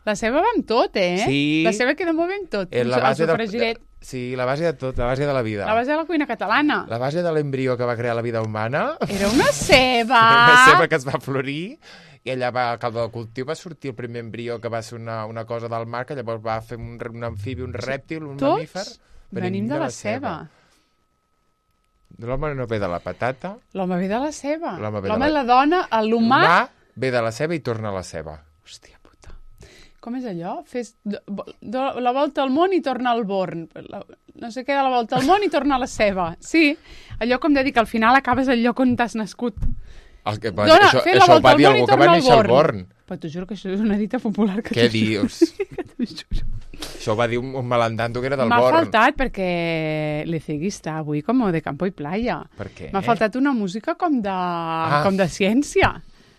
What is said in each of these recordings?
La ceba va amb tot, Sí. La ceba queda molt bé amb tot. La base el sofregiret. Sí, la base de tot, la base de la vida. La base de la cuina catalana. La base de l'embrió que va crear la vida humana. Era una ceba! Una ceba que es va florir i allà al caldo del cultiu va sortir el primer embrió que va ser una cosa del mar, que llavors va fer un amfibi, un rèptil, un mamífer. Venim de la ceba. L'home no ve de la patata. L'home ve de la ceba. L'home i la dona, l'humà... ve de la ceba i torna a la ceba. Hòstia puta. Com és allò? Fes la volta al món i torna al born. No sé què, de la volta al món i torna a la ceba. Sí, allò com de dir que al final acabes al lloc on t'has nascut. Això ho va dir algú que va néixer al Born. Però t'ho juro que això és una dita popular. Què dius? Això ho va dir un malandando que era del Born. M'ha faltat perquè l'Ecegui està avui com de campo i playa. Per què? M'ha faltat una música com de ciència.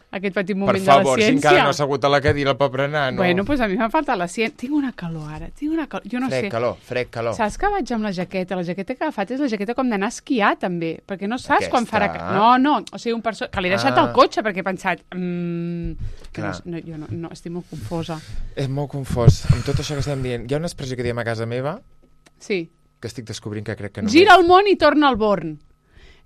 Aquest petit moment de la ciència. Per favor, si encara no ha assegut a la cadira el pobre nano. Bueno, doncs a mi m'ha faltat la ciència. Tinc una calor ara, jo no sé. Fred calor. Saps que vaig amb la jaqueta? La jaqueta que he agafat és la jaqueta com d'anar a esquiar, també, perquè no saps quan farà... No, o sigui, que l'he deixat al cotxe, perquè he pensat... Jo no, estic molt confosa. És molt confós. Amb tot això que estem dient, hi ha una expressió que diem a casa meva... Sí. Que estic descobrint que crec que no... Gira el món i torna al Born.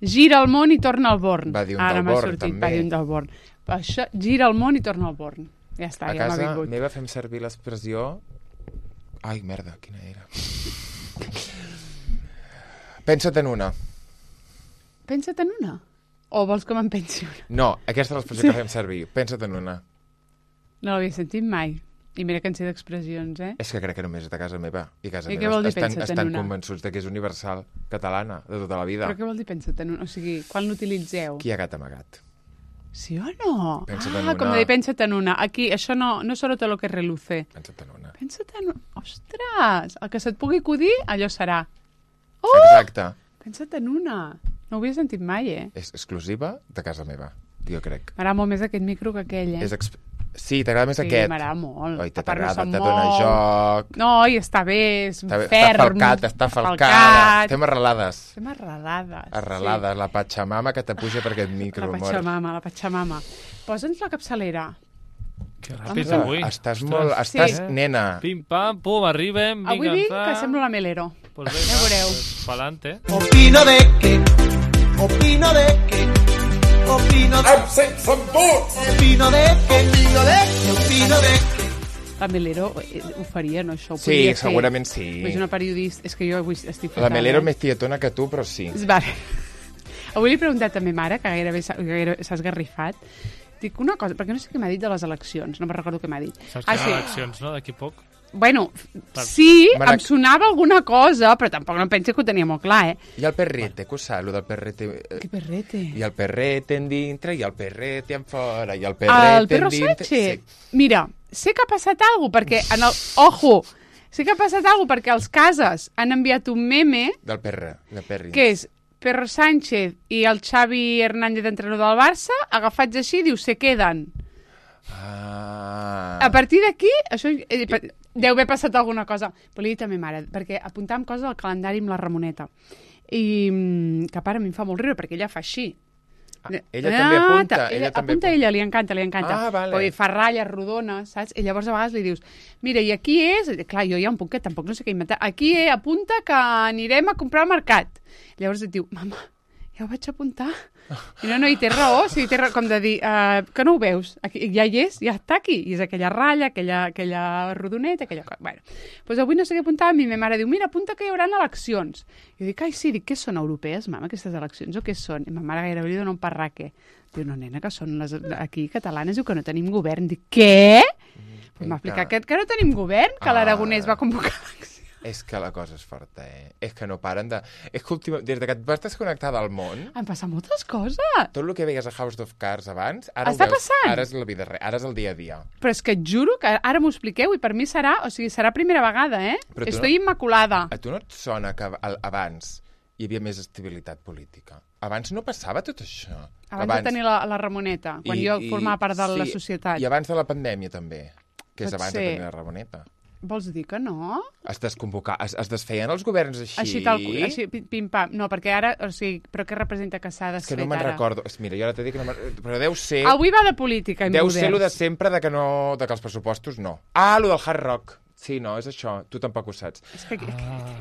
Gira el món i torna al Born. Va dir un del Born, també. Va dir un del Born. Això, gira el món i torna al Born. Ja està, ja m'ha vingut. A casa meva fem servir l'expressió... Ai, merda, quina era? Pensa't en una. Pensa't en una? O vols que me'n pensi una? No, aquesta és l'expressió que fem servir. Pensa't en una. No l'havia sentit mai. I mira que en sé d'expressions, És que crec que només és de casa meva. I casa meva estan convençuts que és universal, catalana, de tota la vida. Però què vol dir pensa't en una? O sigui, quan l'utilitzeu? Qui ha gat amagat? Sí o no? Pensa't en una. Com de dir, pensa't en una. Aquí, això no solo te lo que reluce. Pensa't en una. Pensa't en una. Ostres! El que se't pugui acudir, allò serà. Oh! Exacte. Pensa't en una. No ho havia sentit mai, És exclusiva de casa meva, jo crec. M'agrada molt més aquest micro que aquell, Sí, t'agrada més aquest. Sí, m'agrada molt. Oi, t'agrada, te dona joc. No, i està bé, és ferm. Està falcat. Estem arrelades. Sí. La patxamama que te puja per aquest micro, amor. La patxamama. Posa'ns la capçalera. Que ràpid avui. Estàs nena. Pim, pam, pum, arribem. Avui vinc que semblo la Melero. Pues venga, ja veureu. Pa'lante. Opino de que Opino de que Absent som tots! Opino de que La Melero ho faria, no? Això ho sí, segurament sí. És una periodista... És que jo avui estic fatal. La Melero és més tietona que tu, però sí. Vale. Avui li he preguntat a ma mare, que gairebé s'ha esgarrifat. Dic una cosa, perquè no sé què m'ha dit de les eleccions. No me'n recordo què m'ha dit. Saps que hi ha eleccions, no? D'aquí poc. Bueno, sí, em sonava alguna cosa, però tampoc no penso que ho tenia molt clar, I el perrete, què ho saps, lo del perrete? Què perrete? I el perrete en dintre, i el perrete en fora, i el perrete en dintre... El perro Sánchez? Sí. Mira, sé que ha passat alguna cosa, perquè Ojo! Sé que ha passat alguna cosa, perquè els Cases han enviat un meme... Del perri. Que és Perro Sánchez i el Xavi Hernández, entrenador del Barça, agafats així, diu, se queden. A partir d'aquí, això... Deu haver passat alguna cosa. Però li he dit a ma mare, perquè apuntàvem coses al calendari amb la Ramoneta. I que a part a mi em fa molt riure, perquè ella fa així. Ella també apunta. Apunta ella, li encanta. Vale. O fa ratlles rodones, saps? I llavors a vegades li dius, mira, i aquí és... Clar, jo ja un puc que tampoc no sé què inventar. Aquí apunta que anirem a comprar al mercat. Llavors et diu, mama, ja ho vaig apuntar. I no, i té raó, sí, té raó, com de dir, que no ho veus, aquí, ja hi és, ja està aquí, i és aquella ratlla, aquella rodoneta, aquella cosa. Bueno, doncs avui no sé què apuntar, i ma mare diu, mira, apunta que hi haurà eleccions. Jo dic, ai, sí, què són europees, mama, aquestes eleccions, o què són? I ma mare gairebé li dona un parraque. Diu, no, nena, que són les aquí catalanes, diu que no tenim govern. Dic, què? M'ha explicat que no tenim govern, que l'Aragonès va convocar eleccions. És que la cosa és forta, És que no paren de... És que des que et vas desconnectar del món... Han passat moltes coses. Tot el que veies a House of Cards abans... Està passant. Ara és la vida real, ara és el dia a dia. Però és que et juro que ara m'ho expliqueu i per mi serà primera vegada, Estoy immaculada. A tu no et sona que abans hi havia més estabilitat política? Abans no passava tot això. Abans de tenir la Ramoneta, quan jo formava part de la societat. I abans de la pandèmia també, que és abans de tenir la Ramoneta. Vols dir que no? Es desfeien els governs així? Així, pim-pam. No, perquè ara, o sigui, però què representa que s'ha És que desfet no me'n ara? recordo. Mira, jo ara t'he dit que no però deu ser... Avui va de política i Deu moders. ser lo de sempre de que els pressupostos no. Ah, lo del Hard Rock. Sí, no, és això. Tu tampoc ho saps. És que...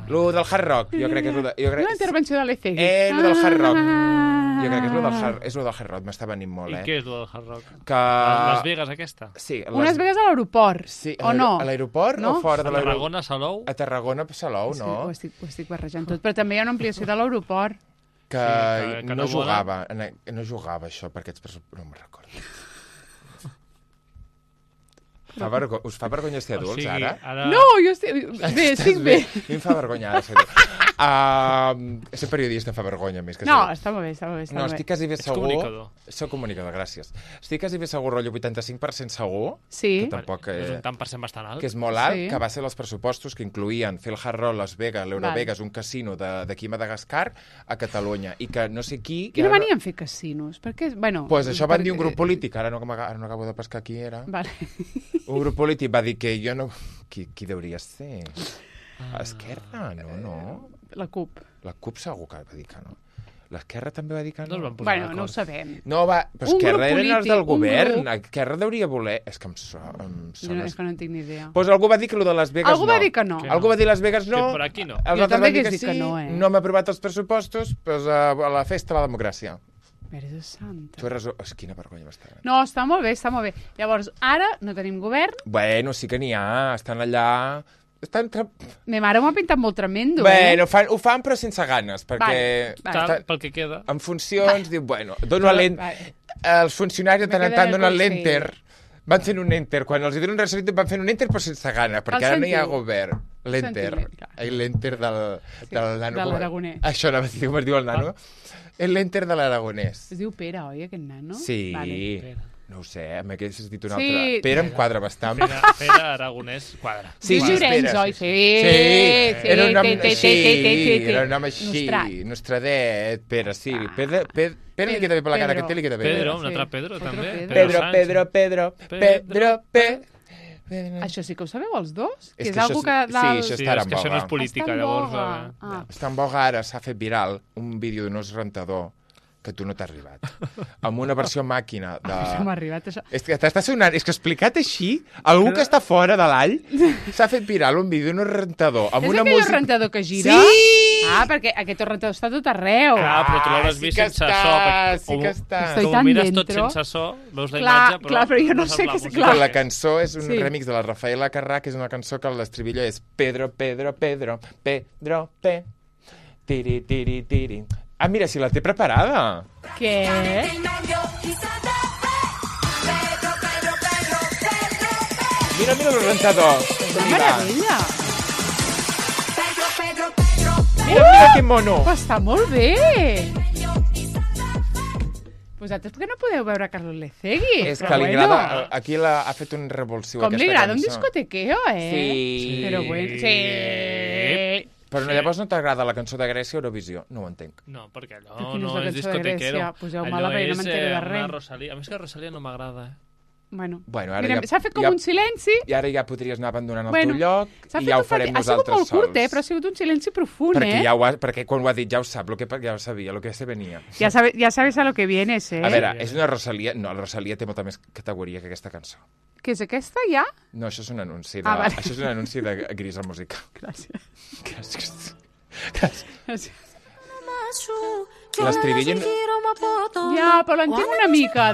Lo del Hard Rock. Jo crec que és lo de... Una intervenció de l'Ecegui. Lo del Hard Rock. Jo crec que és lo del Hard Rock. M'està venint molt, I què és lo del Hard Rock? Que... Las Vegas, aquesta? Sí. Unes vegades a l'aeroport, Sí, o no? A l'aeroport No? o fora A de l'aeroport? Tarragona, Salou? A Tarragona, Salou, Sí, no? ho estic barrejant tot. Però també hi ha una ampliació de l'aeroport. Que, Sí, que no no jugava. No jugava, això, perquè aquests pressupostos... No me'n recordo. Us fa vergonya ser adults, ara? No, jo estic... Bé, estic bé. A mi em fa vergonya ara ser adult. Ser periodista em fa vergonya més que ser No, adult. està molt bé, està molt bé. No, estic quasi bé Ets segur... comunicador. Soc comunicador, gràcies. Estic quasi bé segur, rotllo 85% segur, Sí. que tampoc... És un tant per cent bastant alt. que és molt alt, Sí. que va ser els pressupostos que incluïen fer el Hard Rock, Las Vegas, l'Eurovegas, un casino d'aquí a Madagascar, a Catalunya, i que no sé qui... Qui no venien a fer casinos? Perquè, bueno... Pues això van dir un grup polític, ara no acabo de pescar qui era. Vale. Un grup polític va dir que jo no... Qui deuria ser? Esquerra? No. La CUP. La CUP segur que va dir que no. L'Esquerra també va dir que No es no. van posar Bueno, no ho d'acord. sabem. No, va, però Un grup Esquerra eren els polític, del un govern. grup. Esquerra deuria voler... És que em Jo sona... és que no en tinc ni idea. Pues algú va dir que lo de Las Vegas Algú no. va dir que no. Que Algú va dir Las Vegas no. Que per aquí no. Els Jo altres també van dir hagués dit que no, No hem aprovat els pressupostos, doncs a la festa de la democràcia. Mare de santa. Tu has resol... Quina vergonya m'està. No, està molt bé, està molt bé. Llavors, ara no tenim govern. Bueno, sí que n'hi ha. Estan allà... Ma mare m'ho ha pintat molt tremendo, Bueno, ho fan però sense ganes, perquè... Vale. Tal, pel que queda. En funcions, diu, bueno, dono Vale. els funcionaris de tant en queda tant el donen consell. l'enter. Van fent un enter. Quan els donen un resolució van fent un enter però sense gana, perquè ara no hi ha sentiu? govern. L'enter. Sentiment, clar. L'enter del nano. de l'aragonès. Això anava a dir, com es diu el nano? L'enter de l'aragonès. Es diu Pere, oi, aquest nano? Sí. Vale. No ho sé, m'hagués dit un Sí. altre. Pere em quadra bastant. Pere Aragonès quadra. Sí, Lluís Llorenç, Pere, oi? sí. Sí. Era un nom té, així, era un nom així, Nostrat. Nostradet, Pere, sí. Pere li queda bé per la cara, Pedro. que té li queda bé. Pedro, un Sí. altre Pedro, Otro també. Pedro. Pedro. Això sí que ho sabeu, els dos? És Que és que algo això que... és- dalt- sí, Sí, està és en que això no és boga. política, Està en llavors... boga. Ah. Està en boga ara, s'ha fet viral un vídeo d'un os rentador que tu no t'ha arribat. Amb una versió màquina de... Això m'ha arribat, això. És que t'està sonant, és que explicat així, algú que està fora de l'all s'ha fet viral un vídeo d'un rentador amb És una aquell música... rentador que gira? Sí! Ah, perquè aquest rentador està tot arreu. Clar, però tu l'hauràs sí vist que sense està, so. perquè sí ho- que està. Estoy ho tan mires tot dentro. sense so, veus la Clar, imatge, però... clar, però jo no sé saps què la és- música. clar. Però la cançó és un Sí. remix de la Rafaela Carrà, que és una cançó que l'estribillo és Pedro, Pedro, Pedro, Pedro, P. Tiri, tiri, tiri. Ah, mira, si la té preparada. Què? Mira el rentador. Una meravella. Mira que mono. Però està molt bé. Vosaltres per què no podeu veure Carlos Lecegui? És Però que li bueno, agrada... Aquí ha fet un revulsiu Com li aquesta agrada un cançó. discotequeo, Sí. Però bueno, sí. Però no, llavors no t'agrada la cançó de Grècia o Eurovisió? No ho entenc. No, perquè Però allò quina és no la és cançó de discotequero. Grècia? Poseu-me-la bé, no m'entero de res. Una Rosalía. A més que Rosalía no m'agrada, Bueno, Bueno, ara mira, ja- s'ha fet com ja- un silenci. I ara ja podries anar abandonant el Bueno, teu lloc S'ha i fet ja ho un farem Ha sigut nosaltres molt curt, sols. però ha sigut un silenci profund, Perquè quan ho ha dit ja ho sap, ja ho sabia, el que se venia. Ya sabes a lo que vienes, A veure, és una Rosalía... No, la Rosalía té molta més categoria que aquesta cançó. ¿Qué es aquesta ja? No, això és un anunci Ah, vale. Això és un anunci de Grisa Música. Gràcies. Gràcies. Gràcies. L'estribillo... Ja, però l'entenc una mica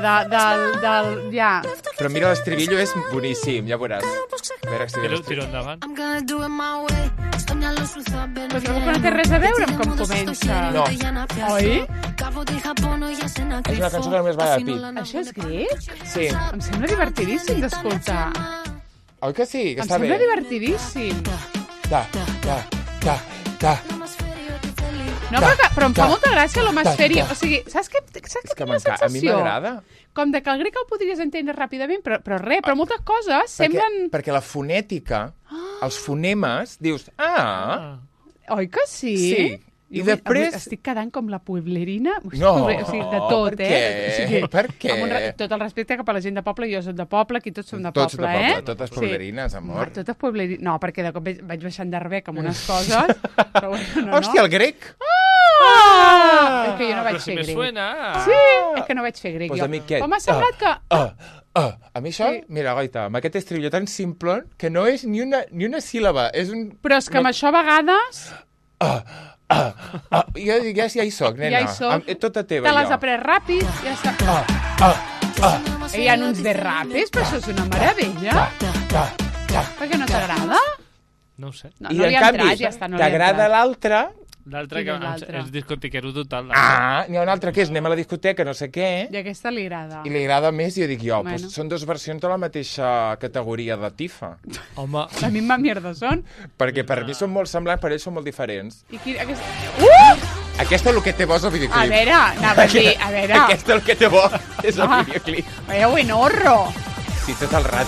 ja. Però mira, l'estribillo és boníssim, ja veuràs. A veure si Tiro endavant. Però trobo que no té res a veure amb com comença. No. Oi? És una cançó que només va de pit. Això és grec? Sí. Em sembla divertidíssim d'escoltar. Oi que sí? Que Em està bé. sembla divertidíssim. Ta. No, però em fa molta gràcia l'homasfèria. O sigui, saps què És que tinc la a mi sensació? m'agrada. Com de que el grec el podries entendre ràpidament, però moltes coses semblen... Perquè la fonètica, els fonemes, dius, Oi que sí? sí. I avui després... estic quedant com la pueblerina. No, O sigui, de tot, per què? Per què? Amb tot el respecte cap a la gent de poble, jo soc de poble, aquí tots som de Tots de poble, poble, eh? totes pueblerines, amor. Totes pueblerines. No, perquè de cop vaig baixant d'Arbec amb unes coses, però bueno, no. Hòstia, el grec! És que jo no vaig Però si fer me grec. suena... Sí, és que no vaig fer grec, Pues jo. a mi què? Però m'ha semblat que... A mi això, Sí. mira, goita, amb aquest estribillo tan simple que no és ni una síl·laba, és un... Però és que amb això a vegades Jo dic, ja hi soc, nena. ja hi soc. Tota teva, te l'has jo. après ràpid, ja està. Hi ha uns de rapes, però això és una meravella. Per què no t'agrada? No ho sé. No, I no li en ha canvi, entrat, ja està, no li ha t'agrada entrat. l'altre... L'altre Quin que és l'altre? és discotiquero total. N'hi ha un altre que és anem a la discoteca, no sé què, I aquesta li agrada. i li agrada més, i jo dic jo, Bueno. pues són dues versions de la mateixa categoria de tifa. Home, La misma mierda són. Perquè per mi són molt semblants, per ells són molt diferents. I qui, aquesta... Aquesta és el que té bo és el A videoclip. veure, anava a dir, a veure... Aquesta és el que té bo, és el Ah. videoclip. Veieu, enorro. Sí, tot el rat.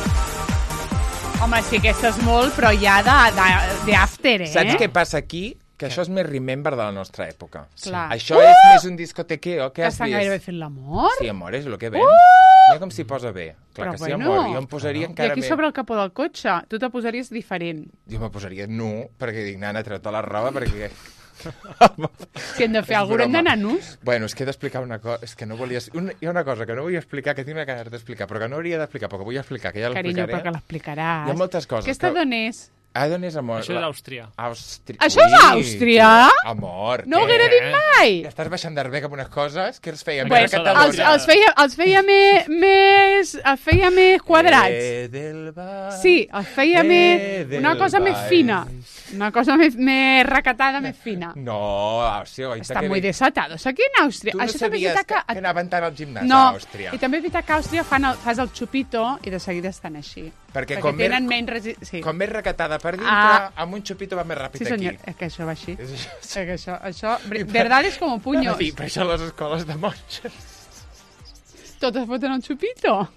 Home, sí, aquesta és molt, però ja d'after, eh? Saps què passa aquí? Que això és més Remember de la nostra època. Clar. Això és més un discotequeo. Què Que has estan vist? gairebé fent l'amor. Sí, amor, és el que ven. Mira com s'hi posa bé. Clar Però que sí, bueno. amor. Jo em posaria I encara aquí més. sobre el capó del cotxe, tu te posaries diferent. Jo me posaria nu, perquè dic, nana, treu-te la roba, perquè... Si hem de fer És alguna hem broma. d'anar nus. Bueno, és que he d'explicar una cosa... És que no volia... Hi ha una cosa que no volia explicar, que tinc una ganes d'explicar, però que no hauria d'explicar, però que vull explicar, que ja Carinyo, l'explicaré. però que l'explicaràs. Hi ha moltes coses. Aquesta que- d'on és? Ah, d'on és, amor? això és Àustria. Àustria. Això és Àustria? Amor, No ho què? haguera dit mai. Estàs baixant d'Arbec amb unes coses que els feien Bueno, bé a Catalunya. els feia més quadrats. Del bar, Sí, els feia més... del Una cosa més baix. fina. Una cosa més recatada, més fina. No, Àustria, oita, Estan que muy bé. desatados aquí en Àustria. Tu no Això també és sabies veritat que anaven tant al gimnàs No, a Àustria. i també és veritat que a Àustria fas el xupito i de seguida estan així. Perquè com tenen més- menys... Sí. Com més recatada per dintre, Ah. amb un xupito va més ràpid Sí, senyor. aquí. És que això va així. És això. És que això verdad és com puños. Sí, per això les escoles de monges. Totes foten un xupito.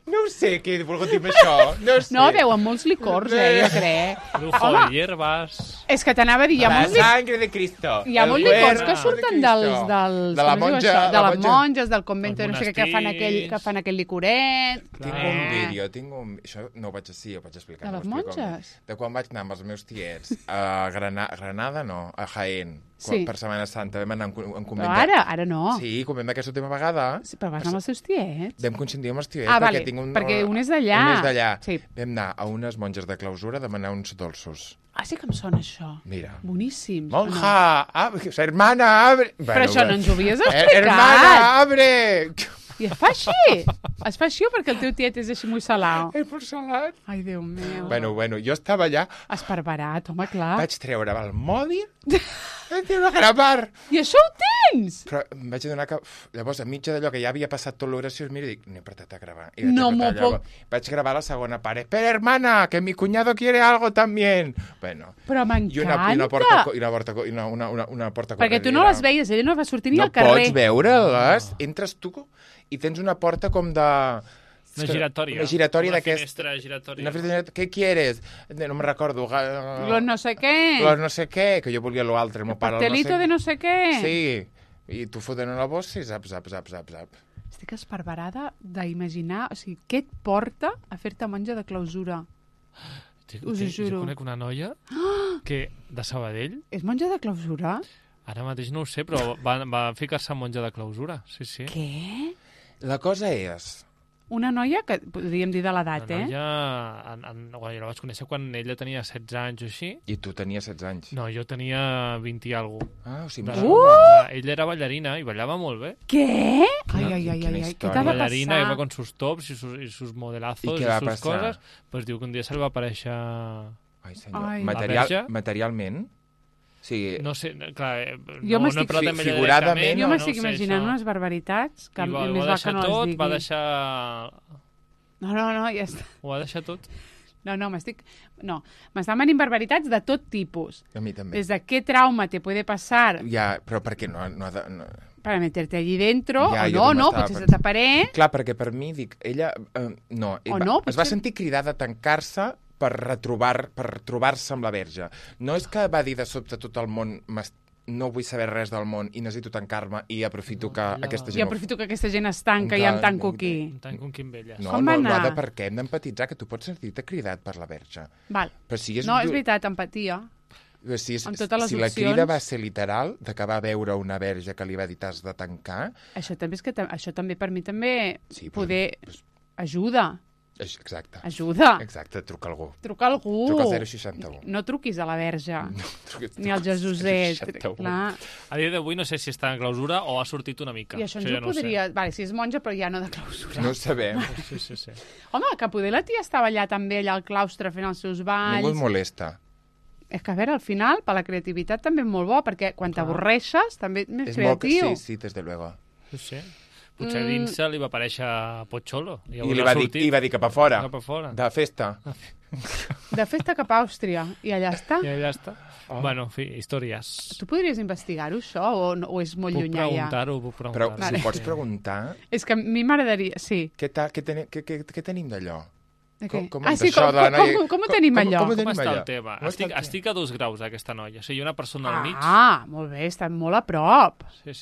No ho sé què he volgut dir amb això. No ho sé. No, veuen molts licors, jo crec. Lujo de hierbas... És que t'anava a dir, hi ha La molts licors... sangre de Cristo. Hi ha el molts licors cuerpo que de surten Cristo. dels De la com es diu monja. això? De la les monges, del convento, Els no sé què, que fan monestirs. aquell licoret. Tinc un vídeo, Això no ho vaig ho vaig explicar. De no les ho explico. monges? De quan vaig anar amb els meus tiets a Granada, no, a Jaén. Sí. Per Setmana Santa vam anar en convent. Però ara no. Sí, convent d'aquesta última vegada. Sí, però vas anar amb els seus tiets. Vam consentir amb els tiets Ah, perquè vale, tinc un... perquè un és d'allà. Un és d'allà. Sí. Vam anar a unes monges de clausura a demanar uns dolços. Ah, sí que em sona això. Mira. Boníssims. Monja, hermana, abre... Però això no ens ho havies Hermana, explicat. abre! I es fa així. Es fa així o perquè el teu tiet és així muy salao? El porcelat. Ai, Déu meu. Bueno, jo estava allà, Esparverat, home, clar. vaig treure el mòbil, vaig treure a gravar. I això ho tens? Però em vaig adonar que, llavors, a mitja d'allò que ja havia passat tot l'oració, mira, dic, n'he apretat a gravar. I vaig No apretar m'ho allò. Vaig gravar la segona part. Espera, hermana, que mi cuñado quiere algo también. Bueno, Però i m'encanta. una porta Perquè tu no les veies, ella no va sortir ni no al carrer. pots veure-les. Entres tu i tens una porta com de... Una giratòria. Una giratòria Una d'aquest... finestra giratòria. Una finestra... Què quieres? No me recordo. Los no sé què. Los no sé què, que jo volia l'altre. El meu pare, el Pastelito de no sé què. Sí. I tu fotent una bossa i zap, zap, zap, zap, zap. Estic esparverada d'imaginar, o sigui, què et porta a fer-te monja de clausura? Us ho juro. Jo conec una noia que, de Sabadell, És monja de clausura? ara mateix no ho sé, però va ficar-se en monja de clausura. Sí, sí. Què? La cosa és... Una noia que podríem dir de l'edat, La eh? noia, jo la vaig conèixer quan ella tenia 16 anys o així. I tu tenies 16 anys. No, jo tenia 20 i alguna cosa. Ah, o sigui, De- més Ella era ballarina i ballava molt bé. Què? Quina- Ai, ai, ai, quina ai, ai, què història. t'ha de Ballarina, iba passar? con sus tops y sus modelazos ¿Y y, qué va a sus pasar? cosas. Pues diu que un dia se li va aparèixer... Ai, senyor. Ai. La Materialment? Sí. No sé, clar, Jo no he m'estic- parlat amb ella figuradament, directament, Jo no m'estic sé imaginant això. unes barbaritats que I va, més ho va va que deixar no les tot, digui. va deixar... No, ja està. Ho va deixar tot. No, m'estan venint barbaritats de tot tipus. A mi també. Des de qué trauma te puede pasar Ja, però perquè no ha de... No. para meterte allí dentro, Ja, o jo no, també estava potser se pensant. taparé. Clar, perquè per mi, dic, ella... no, O no, es va potser- sentir cridada a tancar-se per trobar-se amb la verge. No és que va dir de sobte tot el món no vull saber res del món i necessito tancar-me i aprofito que aquesta I gent... aprofito que aquesta gent es tanca i em tanco aquí. Em tanco amb Quimbelles. No, Com va no ha anar? de per què, hem d'empatitzar, que tu pots sentir-te cridat per la verge. Val. Però si és, No, és veritat, empatia. Si, amb totes les si la opcions. crida va ser literal, de que va veure una verge que li va dir t'has de tancar... Això també és que això també per mi també Sí, però- poder ajuda. Exacte. Ajuda. Exacte, truca algú. Truca algú. Truca al 061. No truquis a la verge. Truca- Ni al Jesuset. 061. Clar. A dia d'avui no sé si està en clausura o ha sortit una mica. I això ens ja ho no ho sé. podria... Vale, si és monja, però ja no de clausura. No ho sabem. Sí. Home, que poder la tia estava allà també, allà al claustre, fent els seus balls. Ningú et molesta. És que, a veure, al final, per la creativitat també és molt bo, perquè quan t'avorreixes també ets més És molt... creatiu. Sí, desde luego. Sí. Potser dins se li va aparèixer Pocholo. I li va dir cap a fora. Cap a fora. De festa. De festa cap a Àustria, i allà està. I ja està. Bueno, en fi, històries. Tu podries investigar-ho, això, o és molt Puc llunyà ja? puc Però preguntar-ho. si ho pots preguntar, És que a mi m'agradaria... Sí. què tenim d'allò? De què? Com Ah, és sí, això de la noia? com ho tenim, allò? Com tenim està allò? el tema? Com està el tema? Estic a 2 graus, aquesta noia. O sigui, una persona al mig. Ah, molt bé, està molt a prop. Sí.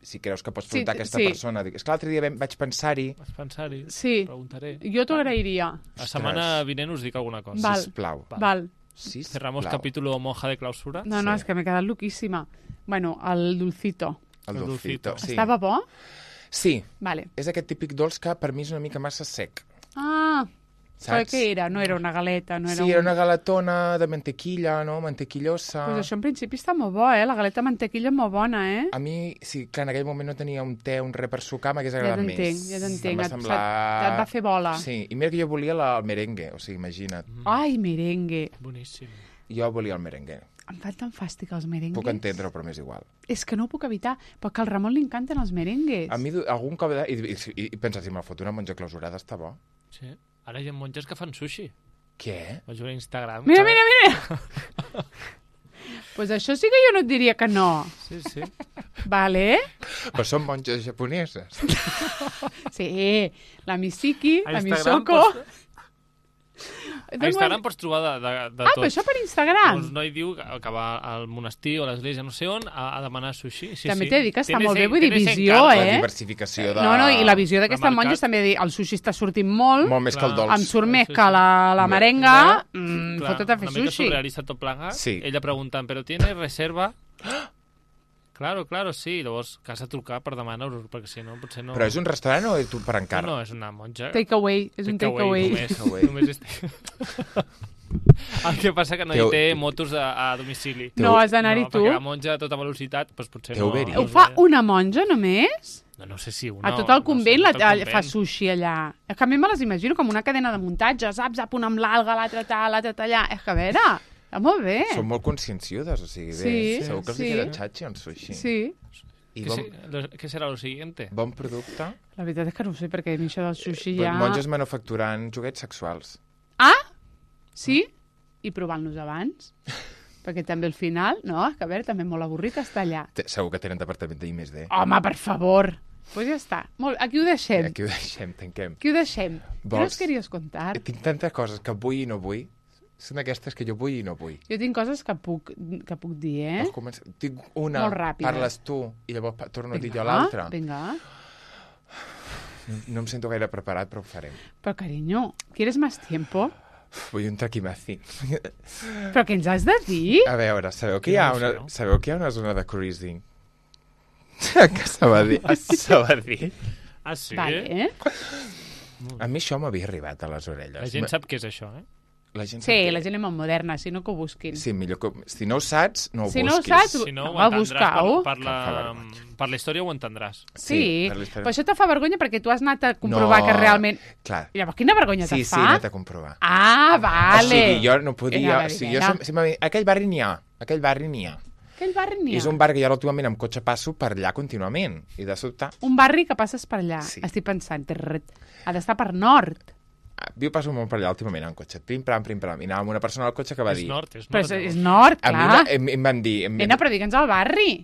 Si creus que pots Sí, preguntar a aquesta sí. persona. És que l'altre dia vaig pensar-hi, Vaig pensar-hi. Sí. Preguntaré. Jo t'ho agrairia. La setmana vinent us dic alguna cosa. Val. sisplau. Val. Cerramos capítulo monja de clausura. No, Sí. és que m'he quedat loquíssima. Bueno, el dulcito. El El dulcito. dulcito. Sí. Estava bo? Sí, Vale. és aquest típic dolç que per mi és una mica massa sec. Ah, però Saps? què era? No era una galeta, no era Sí, era una galetona de mantequilla, no? Mantequillosa. Pues això en principi està molt bo, La galeta mantequilla és molt bona, A mi, sí, clar, en aquell moment no tenia un te, un res per sucar, m'hagués Ja agradat t'entenc, més. ja t'entenc. Em va Et semblar... va fer bola. Sí, i mira que jo volia el merengue, o sigui, imagina't. Ai, merengue. Boníssim. Jo volia el merengue. Em fan tan fàstic els merengues. Puc entendre-ho, però m'és igual. És que no ho puc evitar, perquè al Ramon li encanten els merengues. A mi algun cop... I pensa, si me'l fot una monja clausurada, està bo. Sí. Ara hi ha monges que fan sushi. Què? Vaig veure a Instagram. Mira, mira, mira! Pues això sí que jo no et diria que no. Sí. Vale? Però són monges japoneses. Sí, la Misiki, A la Instagram Misoko... A Instagram pots trobar de Ah, tot. però això per Instagram. Un noi diu que va al monestir o a l'església, no sé on, a demanar sushi. Sí, També sí. t'he dit que està Tienes molt bé, en- vull dir, tienes visió, encargo. La eh? diversificació de... No, i la visió d'aquestes Remarcat. monges també dir, el sushi està sortint molt, Molt més que el Clar. dolç. em surt més Sí, que sí. la merenga, Clar, fotut a fer una mica sushi. surrealista tot plegat. Sí. Ella preguntant, però ¿tienes reserva? Claro, sí. Llavors, que has de trucar per demanar-ho, perquè si no, potser no... Però és un restaurant o és tu per encàrrec? No, és una monja. Takeaway, és un takeaway. Només és... El que passa que no hi Teu- té motos a domicili. No, has d'anar-hi tu. Perquè la monja a tota velocitat, doncs potser Té no... Uberi. Ho fa una monja només? No sé si una... A tot el convent no sé, tot el fa sushi allà. És que a mi me les imagino com una cadena de muntatge, saps? Una amb l'alga, l'altra allà. És que a veure, està molt bé. Són molt conscienciudes, o sigui, bé, Sí, segur que els sí. queda xatxi en sushi. Sí, I ¿Qué será lo siguiente? bon producte. la veritat és que no ho sé, perquè a mi això del sushi Ja... ja... Monges manufacturant joguets sexuals. Ah? Sí? I provant-los abans? Perquè també al final, no? Que a veure, també molt avorrit estar allà. Segur que tenen departament d'I+D. Home, per favor! Pues ja està. Molt... Aquí ho deixem. Aquí ho deixem, tanquem. Aquí ho deixem. Què Vols- nos queries contar? Tinc tantes coses que vull i no vull. Són aquestes que jo vull i no vull. Jo tinc coses que puc dir, eh? Vols començar? Tinc una, Molt ràpida. parles tu i llavors torno a dir jo l'altra. Vinga. No em sento gaire preparat, però ho farem. Però, carinyo, ¿quieres más tiempo? Vull un traquimací. Però què ens has de dir? A veure, sabeu que Quina hi ha emoció. una zona de cruising? Que Sabadell. A Sabadell. Ah, sí? Vale. A mi això m'havia arribat a les orelles. La gent sap què és això, eh? La gent Sí, sap que- la gent és molt moderna, si no que ho busquin. Sí, millor que... Si no ho saps, no ho Si no ho busquis. saps, Si no, ho va, entendràs buscar-ho. per la història ho entendràs. Sí, per l'història. però això te fa vergonya perquè tu has anat a comprovar que realment... Clar. Llavors, quina vergonya Sí, te sí, fa? he anat a comprovar. Ah, vale. O sigui, jo no Era podia... la O sigui, jo Ribera. si m'ha dit, aquell barri n'hi ha. Aquell barri n'hi ha. Aquell barri n'hi ha. És un barri que jo últimament amb cotxe passo per allà contínuament. I de sobte... Un barri que passes per allà. Sí. Estic pensant, ha d'estar per nord. Jo passo molt per allà últimament en cotxe, prim-pram, i anava amb una persona al cotxe que va És dir... nord, és Però nord. és nord, A mi clar. em van dir... Nena, però digue'ns al barri.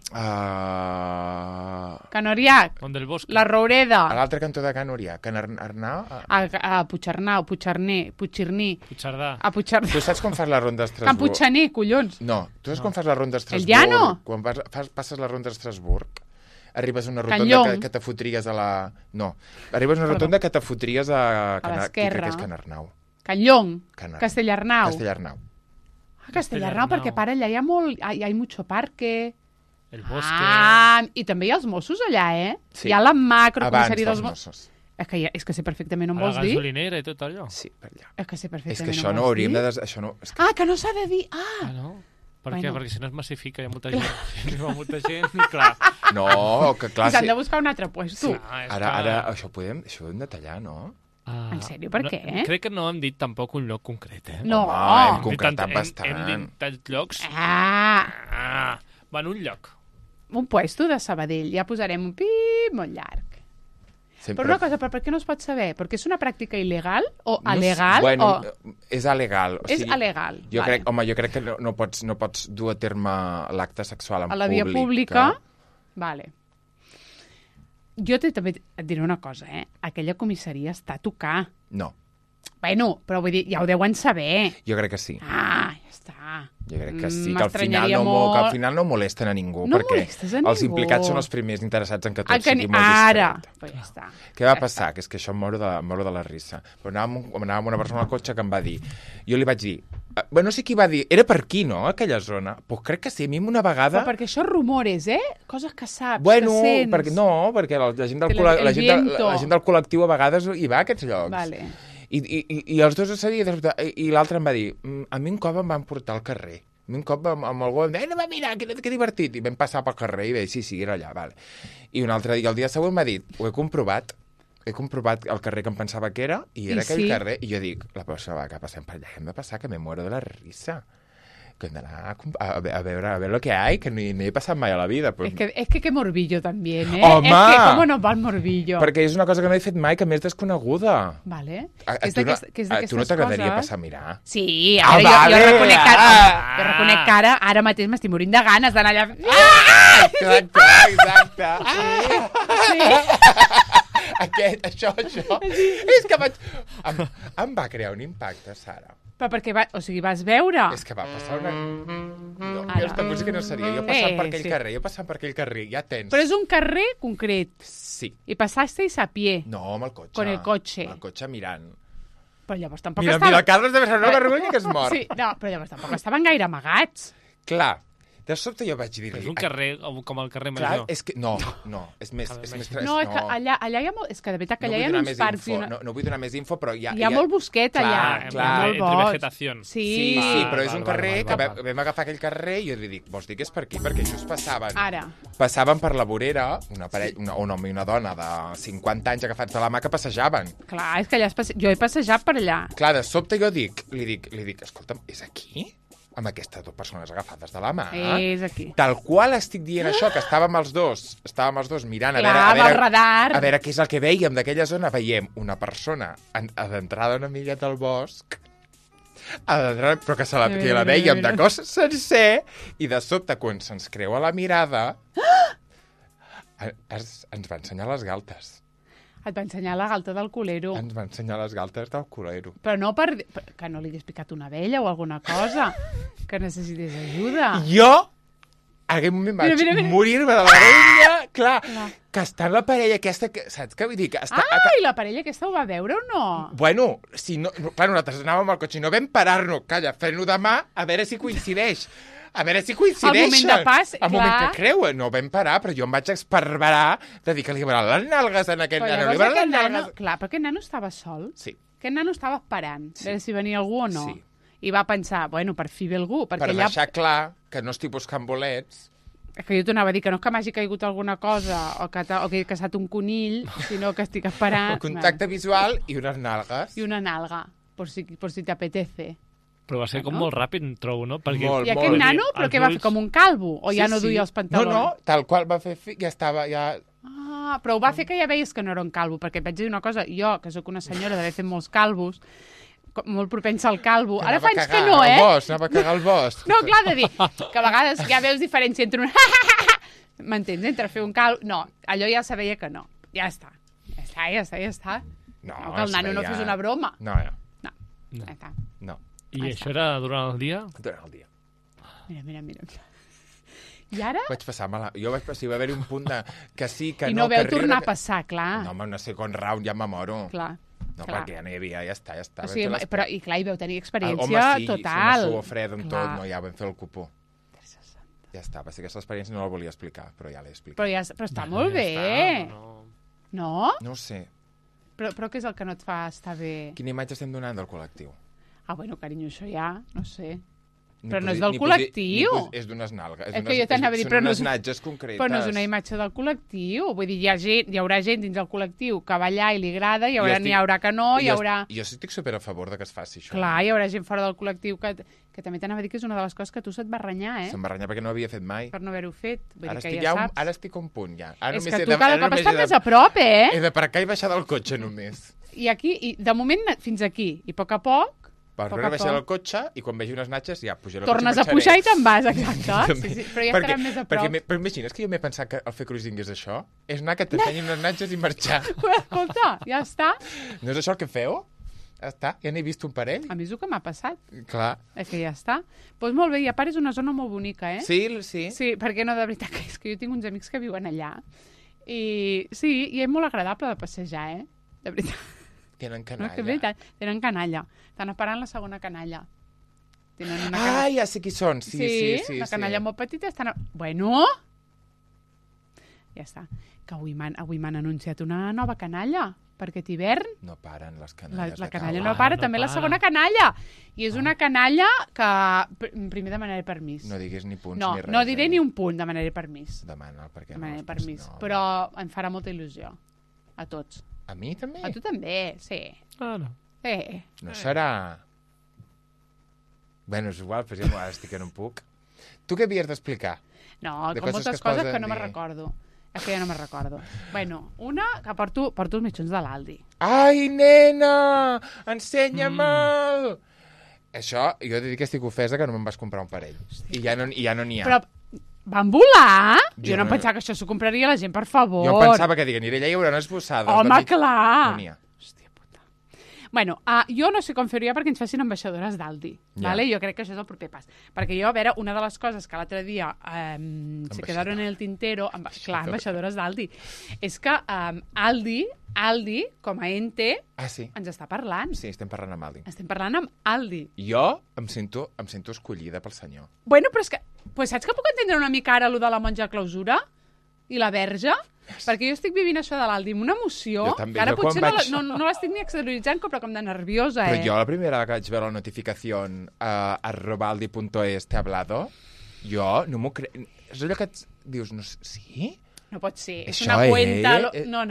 Can Oriac, On del bosc. la Roureda, A l'altre cantó de Can Orià, Can Arnau... a Puigcernau, Puigcerní, Puigcerdà. a Puigcerdà. Tu saps quan fas la ronda Can d'Estrasburg? Puigcener, collons. No, tu saps quan fas la ronda d'Estrasburg? Llano? Quan passes la ronda d'Estrasburg, arribes a una Can rotonda Llong. que te fotries a la... No, arribes a una rotonda que te fotries a l'esquerra. que és Can Arnau. Can Llong, Can- Castellarnau. Castellarnau. Castellarnau, perquè per allà hi ha molt... Hi ha mucho parque. El bosc. I també hi ha els Mossos allà, eh? Sí. Hi ha la macro Abans comissària dels dels Mossos. Mossos. És que sé perfectament on A la vols dir. gasolinera i tot allò. Sí, per allà. És que sé perfectament És que això on no vols hauríem dir. de... Això no... És que... Ah, que no s'ha de dir. Ah, Ah, no? Per Bueno. què? Perquè si no es massifica, hi ha molta gent. Si no hi ha molta gent, i clar. No, que clar... i s'han de buscar un altre puesto. Ah, és Ara, que- això ho hem de tallar, no? Ah, En sèrio, per què? Crec que no hem dit tampoc un lloc concret, eh? No. Home, hem Hem concretat Hem bastant. dit tants llocs. Ah, Ah, va en un lloc. un puesto de Sabadell. Ja posarem un pip molt llarg. Sempre... Però una cosa, per què no es pot saber? Perquè és una pràctica il·legal o No sé- alegal? Bueno, o... és alegal. O És sigui, alegal, Jo vale. crec que no pots dur a terme l'acte sexual en A la via pública. Vale. Jo també et diré una cosa, eh? Aquella comissaria està a tocar. No, Bueno, però vull dir, ja ho deuen saber. jo crec que sí. Ah, ja està. Jo crec que sí, que al final M'estranyaria que al molt. final no molesten a ningú, No perquè molestes a els ningú. implicats són els primers interessats en que tot Ah, que sigui ni... molt Ara. discret. Pues ja està. Què va Ja passar? Que és que això em moro de la risa. Però anava amb una persona al cotxe que em va dir... Jo li vaig dir... Bueno, no sé qui va dir... Era per aquí, no?, aquella zona. Pues crec que sí. A mi una vegada... Però perquè això rumores, eh? Coses que saps, Bueno, que sents. perquè la gent del, Que la, el gent viento. la gent del col·lectiu a vegades hi va a aquests llocs. Vale. I els dos ho sabien, i l'altre em va dir, a mi un cop em van portar al carrer. A mi un cop amb algú em deia, no, va, mira, que divertit. I vam passar pel carrer i vaig dir, sí, era allà, vale. I un altre dia, el dia següent m'ha dit, ho he comprovat el carrer que em pensava que era, i era I aquell sí. carrer. I jo dic, la persona que passem per allà, hem de passar, que me muero de la risa. Que hem d'anar a veure lo que hay, que no he passat mai a la vida. Pues, Es que qué morbillo también, ¿eh? Home! Es que cómo nos va el morbillo. perquè és una cosa que no he fet mai, que m'és desconeguda. Vale. A És tu no, d'aquest- que és a tu no d'aquestes t'agradaria coses. passar a mirar? Sí, Ah, ara vale. jo reconec que Ah. jo reconec que ara mateix m'estic morint de ganes d'anar allà. Exacte, exacte. Això. És que vaig... Em va crear un impacte, Sara. Però perquè vas veure? És que va passar una... No, Ara. aquesta música no seria. Jo passant per aquell sí. carrer, ja tens. Però és un carrer concret. Sí. I passasteis a pie. No, amb el cotxe. Con el cotxe. Amb el cotxe mirant. Però llavors tampoc Mira, estava... Carles deve ser una vergonya que es mor. Sí, no, però llavors tampoc estaven gaire amagats. Clar, de sobte jo vaig dir... És un carrer com el carrer Clar, Major. és que... No, és més... És més No, és que allà hi ha molt... És que de veritat que allà hi ha vull donar uns més parcs... info, no vull donar més info, però Hi ha molt bosquet Clar, allà. clar. Hi ha Entre molt bosc. vegetación. Sí. Sí, però és un val, carrer val, que val, val. vam agafar aquell carrer i jo li dic, vols dir que és per aquí? Perquè just passaven. Ara. Passaven per la vorera, un home i una dona de 50 anys agafats de la mà que passejaven. Clar, és que allà jo he passejat per allà. Clar, de sobte jo li dic, escolta'm, és aquí? Amb aquestes dues persones agafades de la mà? És aquí. Tal qual estic dient això, que estàvem els dos mirant Clar, a amb el radar. a veure què és el que veiem d'aquella zona. Veiem una persona adentrada una miqueta al bosc, però que la veiem de cos sencer, i de sobte, quan se'ns creua la mirada, ens va ensenyar les galtes. Et va ensenyar la galta del culero. Ens va ensenyar les galtes del culero. Però no que no li hagués picat una abella o alguna cosa, que necessités ajuda. Jo, en aquell moment vaig Mira. morir-me de la vergonya, clar, que està en la parella aquesta, saps què vull dir? Que està, I la parella aquesta ho va veure o no? Bueno, clar, nosaltres anàvem al cotxe i no vam parar-nos, calla, fent-ho demà, a veure si coincideix. A veure si coincideixen. El moment de pas, El moment clar. que creuen. No vam parar, però jo em vaig esparverar de dir que li van les nalgues en aquest Però nano. llavors Li van les aquest nano... nalgues... Clar, però aquest nano estava sol. Sí, Aquest nano estava esperant, a veure si venia algú o no. Sí. I va pensar, bueno, per fi ve algú. Perquè per allà... deixar clar que no estic buscant bolets. És que jo t'anava a dir que no és que m'hagi caigut alguna cosa o que he caçat un conill, sinó que estic esperant... Un contacte visual i unes nalgues. I una nalga, por si te apetece. Però va ser com Bueno. molt ràpid, trobo, no? Perquè Molt, I aquest nano, però Els què va ulls- fer? Com un calvo? O ja no duia els pantalons? No, tal qual va fer... Ja estava... Ja... Però ho va fer que ja veies que no era un calvo, perquè et vaig dir una cosa, jo, que sóc una senyora d'haver fet molts calvos, molt propensa al calvo, ara fa anys que no, Anava a cagar el bosc. No, clar, de dir que a vegades ja veus diferència entre un... M'entens? Entre fer un calvo... No, allò ja sabia que no. Ja està. Ja està. No, que el nano no fes una broma. No. Ja està. No. I això era durant el dia? Durant el dia. Mira. I ara... Vaig passar mal. Jo vaig passar, va haver-hi un punt de que sí, que I no... no veu tornar a passar, clar. No, home, una second round ja me moro. Clar. No, clar. perquè ja no hi havia, ja està. O sigui, però, i clar, hi veu tenir experiència home, sí, total. Home, sí, suor fred amb tot, no, ja vam fer el cupó. Ja està, va ser aquesta experiència, no la volia explicar, però ja l'he explicat. Però està molt bé. No? No ho sé. Però què és el que no et fa estar bé? Quina imatge estem donant del col·lectiu? Ah, bueno, carinyo, això ja, no sé. Però no és del col·lectiu. És d'unes nalgues. És que jo t'anava a dir, però no és natges concretes. Però no és una imatge del col·lectiu. Vull dir, hi haurà gent dins del col·lectiu que ballar i li agrada, n'hi haurà que no, hi haurà... Jo estic super a favor de que es faci això. Clar, hi haurà gent fora del col·lectiu que també t'anava a dir que és una de les coses que tu se't va renyar, eh? Se'm va renyar perquè no ho havia fet mai. Per no haver-ho fet. Vull dir que ja saps. Ara estic a un punt, ja. És que tu cada cop estàs més a prop, eh? He d'aparcar i baixar del cotxe, només. I aquí, de moment, fins aquí. I a poc a poc... Per veure baixar del cotxe i quan vegi unes natges ja pujaré el tornes cotxe a pujar i te'n vas, exacte. Sí, però ja estarem més a prop. Però imagines que jo m'he pensat que el fer cruising és això? És anar que t'ensenyin unes natges i marxar. Escolta, ja està. No és això el que feu? Ja està, ja n'he vist un parell. A mi és el que m'ha passat. Clar. És que ja està. Doncs molt bé, i a part és una zona molt bonica, eh? Sí. Sí, perquè no, de veritat, és que jo tinc uns amics que viuen allà. I sí, i és molt agradable de passejar, eh? De veritat. Tenen canalla. No, que veritat, tenen canalla. Estan esperant la segona canalla. Tenen una canalla. Ah, ja sé qui són. Sí, la canalla molt petita. Bueno! Ja està. Que avui m'han anunciat una nova canalla per aquest hivern. No paren les canalles. La canalla no para, també la segona canalla. I és una canalla que primer demanaré permís. No diguis ni punts ni res. No diré ni un punt, demanaré permís. Demana, perquè demanaré permís. Però em farà molta il·lusió. A tots. A mi també? A tu també, sí. Ah, no. No serà... Bueno, és igual, però ja estic que no em puc. Tu què havies d'explicar? No, com moltes coses que no me'n recordo. És que ja no me'n recordo. Bueno, una que porto els mitjons de l'Aldi. Ai, nena! Ensenya-me'l! Això, jo he de dir que estic ofesa que no me'n vas comprar un parell. I ja no n'hi ha. Però van volar? Jo no pensava que això s'ho compraria la gent, per favor. Jo pensava que diguen, allà hi haurà unes bossades. Home, clar! No n'hi ha. Hòstia puta. Bueno, jo no sé com fer-ho perquè ens facin ambaixadores d'Aldi. Vale? Jo crec que això és el proper pas. Perquè jo, a veure, una de les coses que l'altre dia se quedaron en el tintero, clar, ambaixadores d'Aldi, és que Aldi, com a ente, ens està parlant. Sí, estem parlant amb Aldi. Estem parlant amb Aldi. Jo em sento escollida pel senyor. Bueno, però és que... Pues saps que puc entendre una mica ara allò de la monja clausura? I la verge? Perquè jo estic vivint això de l'Aldi amb una emoció també, que ara potser no l'estic ni exterioritzant, però com de nerviosa, Però jo la primera vegada que vaig veure la notificació @aldi.es te ha hablado, jo no m'ho crec... És allò que dius, no sé, sí? No pot ser, és això una cuenta... No.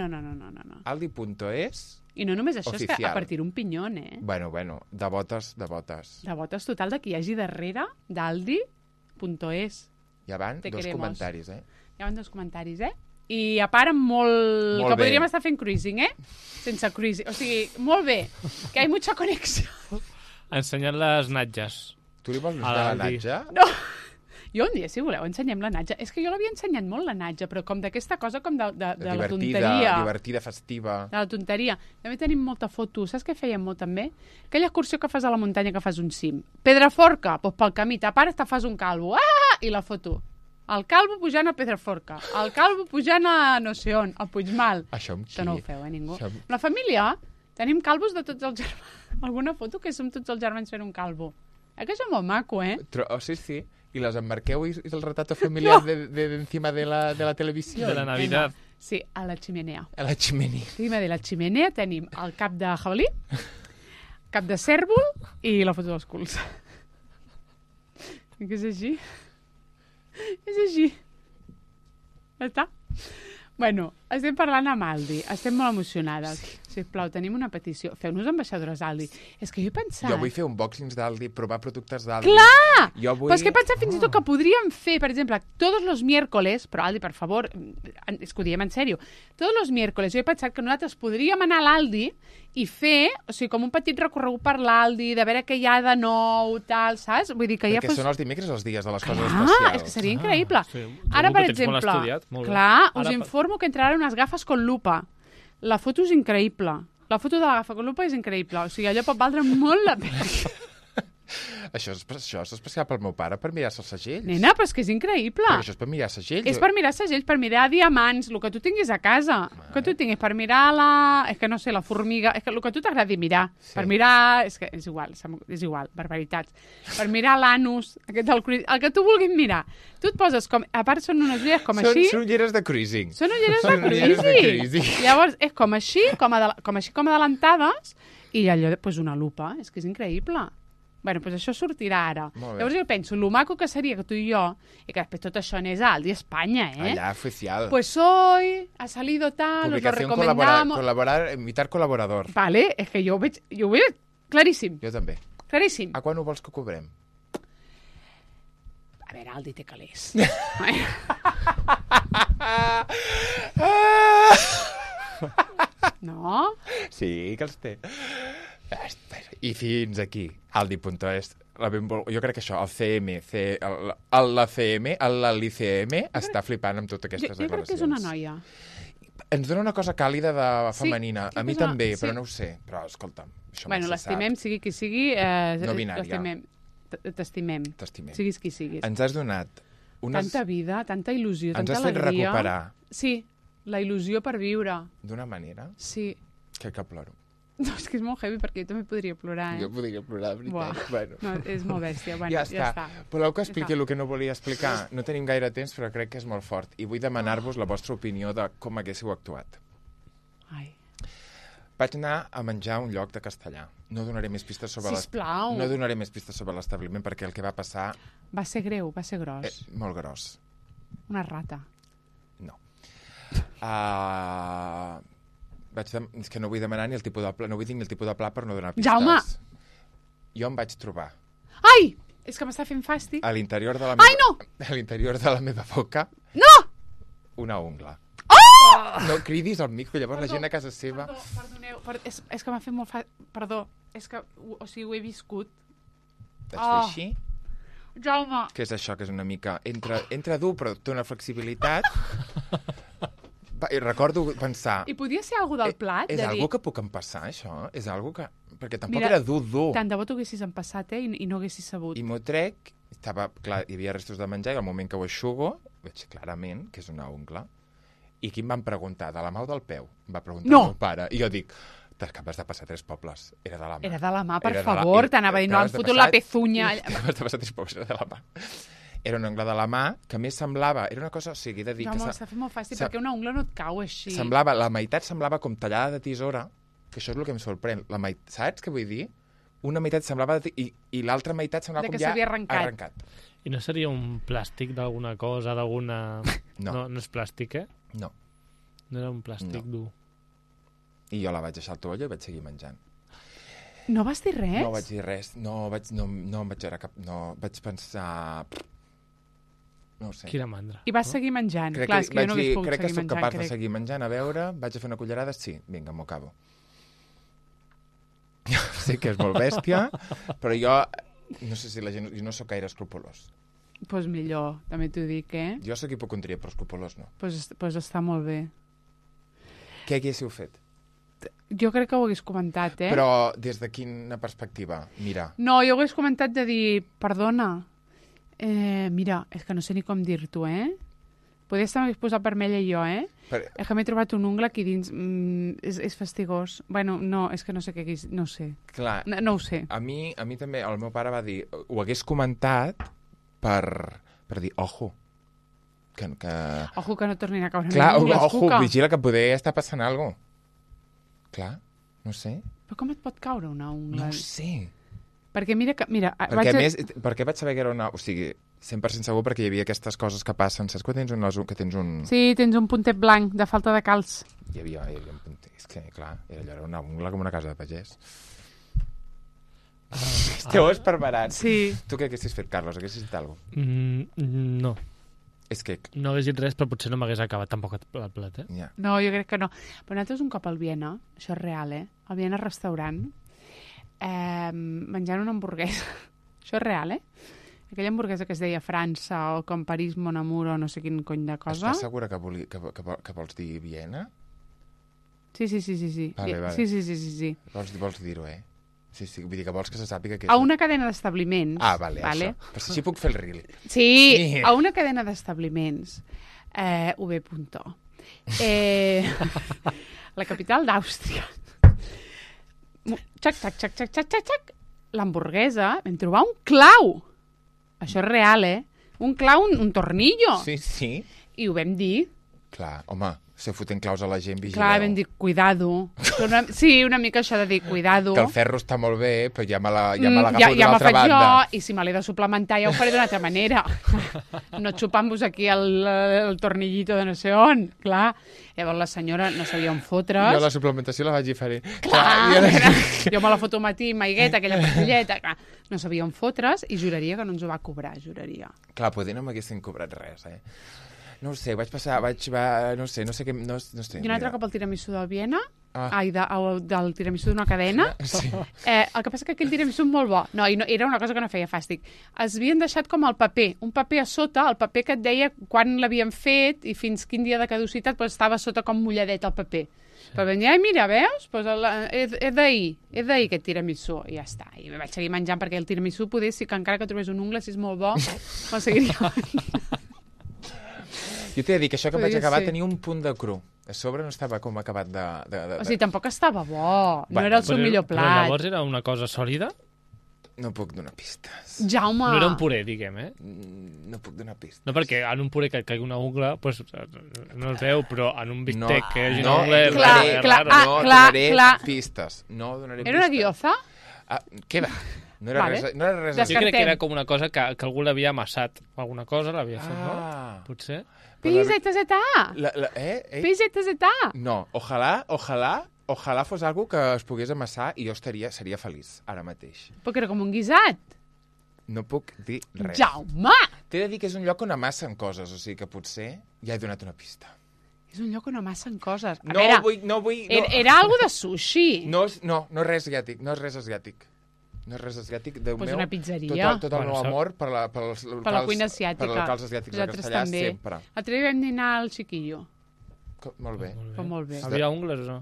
Aldi.es... I no només això, oficial. És que a partir un pinyón, eh? Bueno, de botes. De botes total de qui hi hagi darrere d'Aldi.es. Ja van dos comentaris, eh? Ja van dos comentaris, eh? I a part molt que podríem estar fent cruising, eh? Sense cruising. O sigui, molt bé, que hi ha mucha connexió. Ensenyant les natges. Tu li vols ensenyar la natja? No. Jo un dia, si voleu, ensenyem la natja. És que jo l'havia ensenyat molt, la natja, però com d'aquesta cosa com de la tonteria. Divertida, festiva. De la tonteria. També tenim molta foto. Saps què fèiem molt, també? Aquella excursió que fas a la muntanya, que fas un cim. Pedraforca, doncs pel camí. A part, te fas un calvo. Ah! I la foto. El calvo pujant a Pedraforca. El calvo pujant a no sé on, a Puigmal. Això amb qui? Això no ho feu, ningú. La família, tenim calvos de tots els germans. Alguna foto que som tots els germans fent un calvo. Que això és molt maco, eh? Sí. ¿Y las emmarqueu y el retrato familiar de encima de la televisión? De la Navidad. Sí, a la chimenea. A la chimenea. Encima de la chimenea tenim el cap de jabalí, cap de cèrvol i la foto dels culs. Que és així? És així. Ja està. Bueno, Estem parlant amb Aldi. Estem molt emocionades. Sisplau, tenim una petició. Feu-nos ambaixadores Aldi. És que jo he pensat... Jo vull fer unboxings d'Aldi, provar productes d'Aldi. Clar! Jo vull... Però és que he pensat fins i tot que podríem fer, per exemple, tots els miércoles, però Aldi, per favor, és que ho diem en sèrio, tots els miércoles jo he pensat que nosaltres podríem anar a l'Aldi i fer, o sigui, com un petit recorregut per l'Aldi, de veure què hi ha de nou, tal, saps? Vull dir que Perquè ja són els dimecres els dies de les coses Clar, especials. és que seria increïble. sí. Ara, Segur per que tens molt exemple, estudiat, molt bé. clar, us Ara, informo que entraran unes gafes con lupa. La foto és increïble. La foto de la gafa con lupa és increïble. O sigui, allò pot valdre molt la pena. Això és especial pel meu pare, per mirar-se els segells. Nena, però és que és increïble. Perquè això és per mirar segells. És per mirar segells, per mirar diamants, el que tu tinguis a casa. El que tu tinguis per mirar la... És que no sé, la formiga... És que el que tu t'agradi mirar. Sí. Per mirar... És que és igual, barbaritats. Per mirar l'anus, el que tu vulguis mirar. Tu et poses com... A part, són unes ulleres com així. Són ulleres de cruising. Són ulleres de Són ulleres de cruising. cruising. Llavors, és com així, com adelantades, i allò, doncs una lupa. És que és increïble. Bueno, doncs això sortirà ara. Molt bé. Llavors jo penso, lo maco que seria que tu i jo, i que després tot això anés a Aldi Espanya, Allà, oficial. Pues hoy ha salido tal, os lo Publicación recomendamos. invitar col·laborador. Vale, és que jo ho veig claríssim, Jo també. claríssim. A quan ho vols que cobrem? A veure, Aldi té calés. No? Sí, que els té. I fins aquí, aldi.es. Jo crec que això, el CM, l'ICM està flipant amb totes aquestes Jo crec que és una noia. Ens dona una cosa càlida de femenina. crec A mi que és una- també, sí. però no ho sé. Però, escolta'm, això Bueno, mai se sap. l'estimem, sigui qui sigui. No binària. L'estimem. T'estimem. T'estimem. Siguis qui siguis. Ens has donat Tanta vida, tanta il·lusió, Ens tanta has fet alegria. recuperar Sí, la il·lusió per viure. d'una manera Sí. que ploro. No, és que és molt heavy perquè jo també podria plorar, Jo podria plorar, de Buah. veritat. Bueno. No, és molt bèstia. Bueno, Ja està. Voleu que expliqui Ja està. el que no volia explicar? No tenim gaire temps, però crec que és molt fort. I vull demanar-vos la vostra opinió de com haguéssiu actuat. Ai. Vaig anar a menjar a un lloc de castellà. No donaré més pistes sobre Sisplau. No donaré més pistes sobre l'establiment perquè el que va passar Va ser greu, va ser gros. és molt gros. Una rata. No. És que no vull demanar ni el tipus de pla, no vull dir ni el tipus de pla per no donar pistes. Jaume! Jo em vaig trobar Ai! És que m'està fent fàstic. a l'interior de la Ai, no! a l'interior de la meva boca No! una ungla. Oh! No cridis al micro, llavors la gent a casa seva... Perdoneu, és que m'ha fet molt fàcil. Perdó, és que, o sigui, ho he viscut. Vaig fer Oh. així. Jaume! Què és això, que és una mica... Entra dur, però té una flexibilitat. I recordo pensar... I podia ser algú del plat? És de algo dir, que puc empassar, això? És algo que... Perquè tampoc Mira, era dur. tant de bo t'ho haguessis empassat, I no haguessis sabut. I m'ho trec, clar, hi havia restos de menjar, i al moment que ho eixugo, veig clarament que és una ungla. I qui em van preguntar? De la mà o del peu? Em va preguntar No! el meu pare. I jo dic, t'acabes de passar 3 pobles. Era de la mà. Era de la mà, per Era de la- favor, i- t'anava a dir, no han t'acabes de fotut passar- la pezunya. T'acabes de passar 3 pobles, era de la mà. Era una ungla de la mà que més semblava... Era una cosa, o sigui, he de dir Jaume, que... s'ha fet molt fàcil, se- perquè una ungla no et cau així. Semblava, la meitat semblava com tallada de tisora, que això és el que em sorprèn. Saps què vull dir? Una meitat semblava i l'altra meitat semblava De com que ja s'havia arrencat. I no seria un plàstic d'alguna cosa, d'alguna... No. No és plàstic, eh? No. No era un plàstic dur. I jo la vaig deixar al toallo i vaig seguir menjant. No vas dir res? No vaig dir res. No em vaig veure cap... No, vaig pensar... No ho sé. Quina mandra. I vas seguir menjant. Crec Clar, que, és que jo no hagués pogut crec que seguir soc menjant. capaç de seguir menjant, a veure, vaig a fer una cullerada, sí, vinga, m'ho acabo. Sé que és molt bèstia, però jo no sé si la gent... Jo no sóc gaire escrupolós. Pues millor, també t'ho dic, Jo sóc hipocondria, però escrupolós no. Pues està molt bé. Què haguéssiu fet? Jo crec que ho hagués comentat, Però des de quina perspectiva? Mira, No, jo ho hagués comentat de dir, perdona, mira, és que no sé ni com dir-t'ho, Podria estar més posat vermella jo, És que m'he trobat un ungla aquí dins, és fastigós. Bueno, no, és que no sé què hagués... No ho sé. clar, No ho sé. a mi també, el meu pare va dir, ho hagués comentat per dir, ojo, que... Ojo que no tornin a caure Clar, ungles, ojo, Cuca. vigila que poder estar passant alguna cosa. Clar, no sé. Però com et pot caure una ungla? No ho sé. Perquè mira... Perquè, a més, perquè vaig saber que era una... O sigui, 100% segur perquè hi havia aquestes coses que passen. Saps que tens un... Sí, tens un puntet blanc de falta de calç. Hi havia un puntet... És que, clar, allò era una ungla com una casa de pagès. Esteu esperberats. Sí. Tu què haguessis fet, Carlos? Haguessis dit alguna cosa? No. És que... No hagués dit res, però potser no m'hagués acabat tampoc el plat, eh? Ja. No, jo crec que no. Però nosaltres un cop al Viena, això és real, al Viena restaurant, menjant una hamburguesa. Això és real, Aquella hamburguesa que es deia França o com París, Mon Amour o no sé quin cony de cosa. Estàs segura que vols dir Viena? Sí. Vale. Sí. Vols dir-ho, Sí, vull dir que vols que se sàpiga que... A una cadena d'establiments. Ah, vale. Això. Però si així puc fer el reel. Sí, a una cadena d'establiments. UB. La capital d'Àustria. Xac. L'hamburguesa, vam trobar un clau. Això és real, Un clau, un tornillo. Sí. I ho vam dir. Clar, home, se foten claus a la gent, vigileu. Clar, vam dir, cuidado. Sí, una mica això de dir, cuidado. Que el ferro està molt bé, però ja me l'agafo d'una altra faig banda. jo, i si me l'he de suplementar ja ho faré d'una altra manera. No xupant-vos aquí el tornillito de no sé on. Clar. Llavors la senyora no sabia on fotre's. Jo la suplementació la vaig diferent. Jo me la foto al matí, maigueta, aquella pastilleta. Clar. No sabia on fotre's i juraria que no ens ho va cobrar, juraria. Clar, potser no m'haguessin cobrat res, No ho sé, no sé què... No sé, I un altre cop al tiramisú del Viena, Ah. del tiramisú d'una cadena. Sí. El que passa que aquell tiramisú és molt bo. No, era una cosa que no feia fàstic. Es havien deixat com el paper, un paper a sota, el paper que et deia quan l'havien fet i fins quin dia de caducitat, però estava sota com mulladet el paper. Però vam dir, mira, veus? Pues és d'ahir aquest tiramisú. I ja està. I vaig seguir menjant perquè el tiramisú poder, si que encara que trobés un ungla, si és molt bo, me'l seguiria. Jo t'he de dir que això que em vaig Podria acabar ser. tenia un punt de cru. A sobre no estava com acabat de... O sigui, tampoc estava bo. No Bueno, era el seu millor Però plat. llavors era una cosa sòlida? No puc donar pistes. Jaume! No era un puré, diguem, No puc donar pistes. No, perquè en un puré que et caigui una ungla, pues, no es veu, però en un bistec que hi hagi una no, ungla... és Clar, raro, clar, raro. no clar, donaré clar. pistes. No donaré Era una pistes. guioza? Què va? No era Vale. res... No era res Jo crec que Descartem. era com una cosa que algú l'havia amassat. Alguna cosa l'havia fet, no? Potser? PZZA! PZZA! No, ojalà fos algo que es pogués amassar i jo seria feliç, ara mateix. Perquè era com un guisat. No puc dir res. Jaume! T'he de dir que és un lloc on amassen coses, o sigui que potser ja he donat una pista. És un lloc on amassen coses. A No veure, vull... era algo de sushi. No és res asiàtic, no és res asiàtic. No és res asiàtic. Déu Pues meu, una pizzeria. Tot el meu amor per Per la cuina asiàtica. Per els locals asiàtics de Nosaltres castellà, també. sempre. L'altre dia vam dinar al Chiquillo. Molt bé. Però molt bé. Havia ungles o no?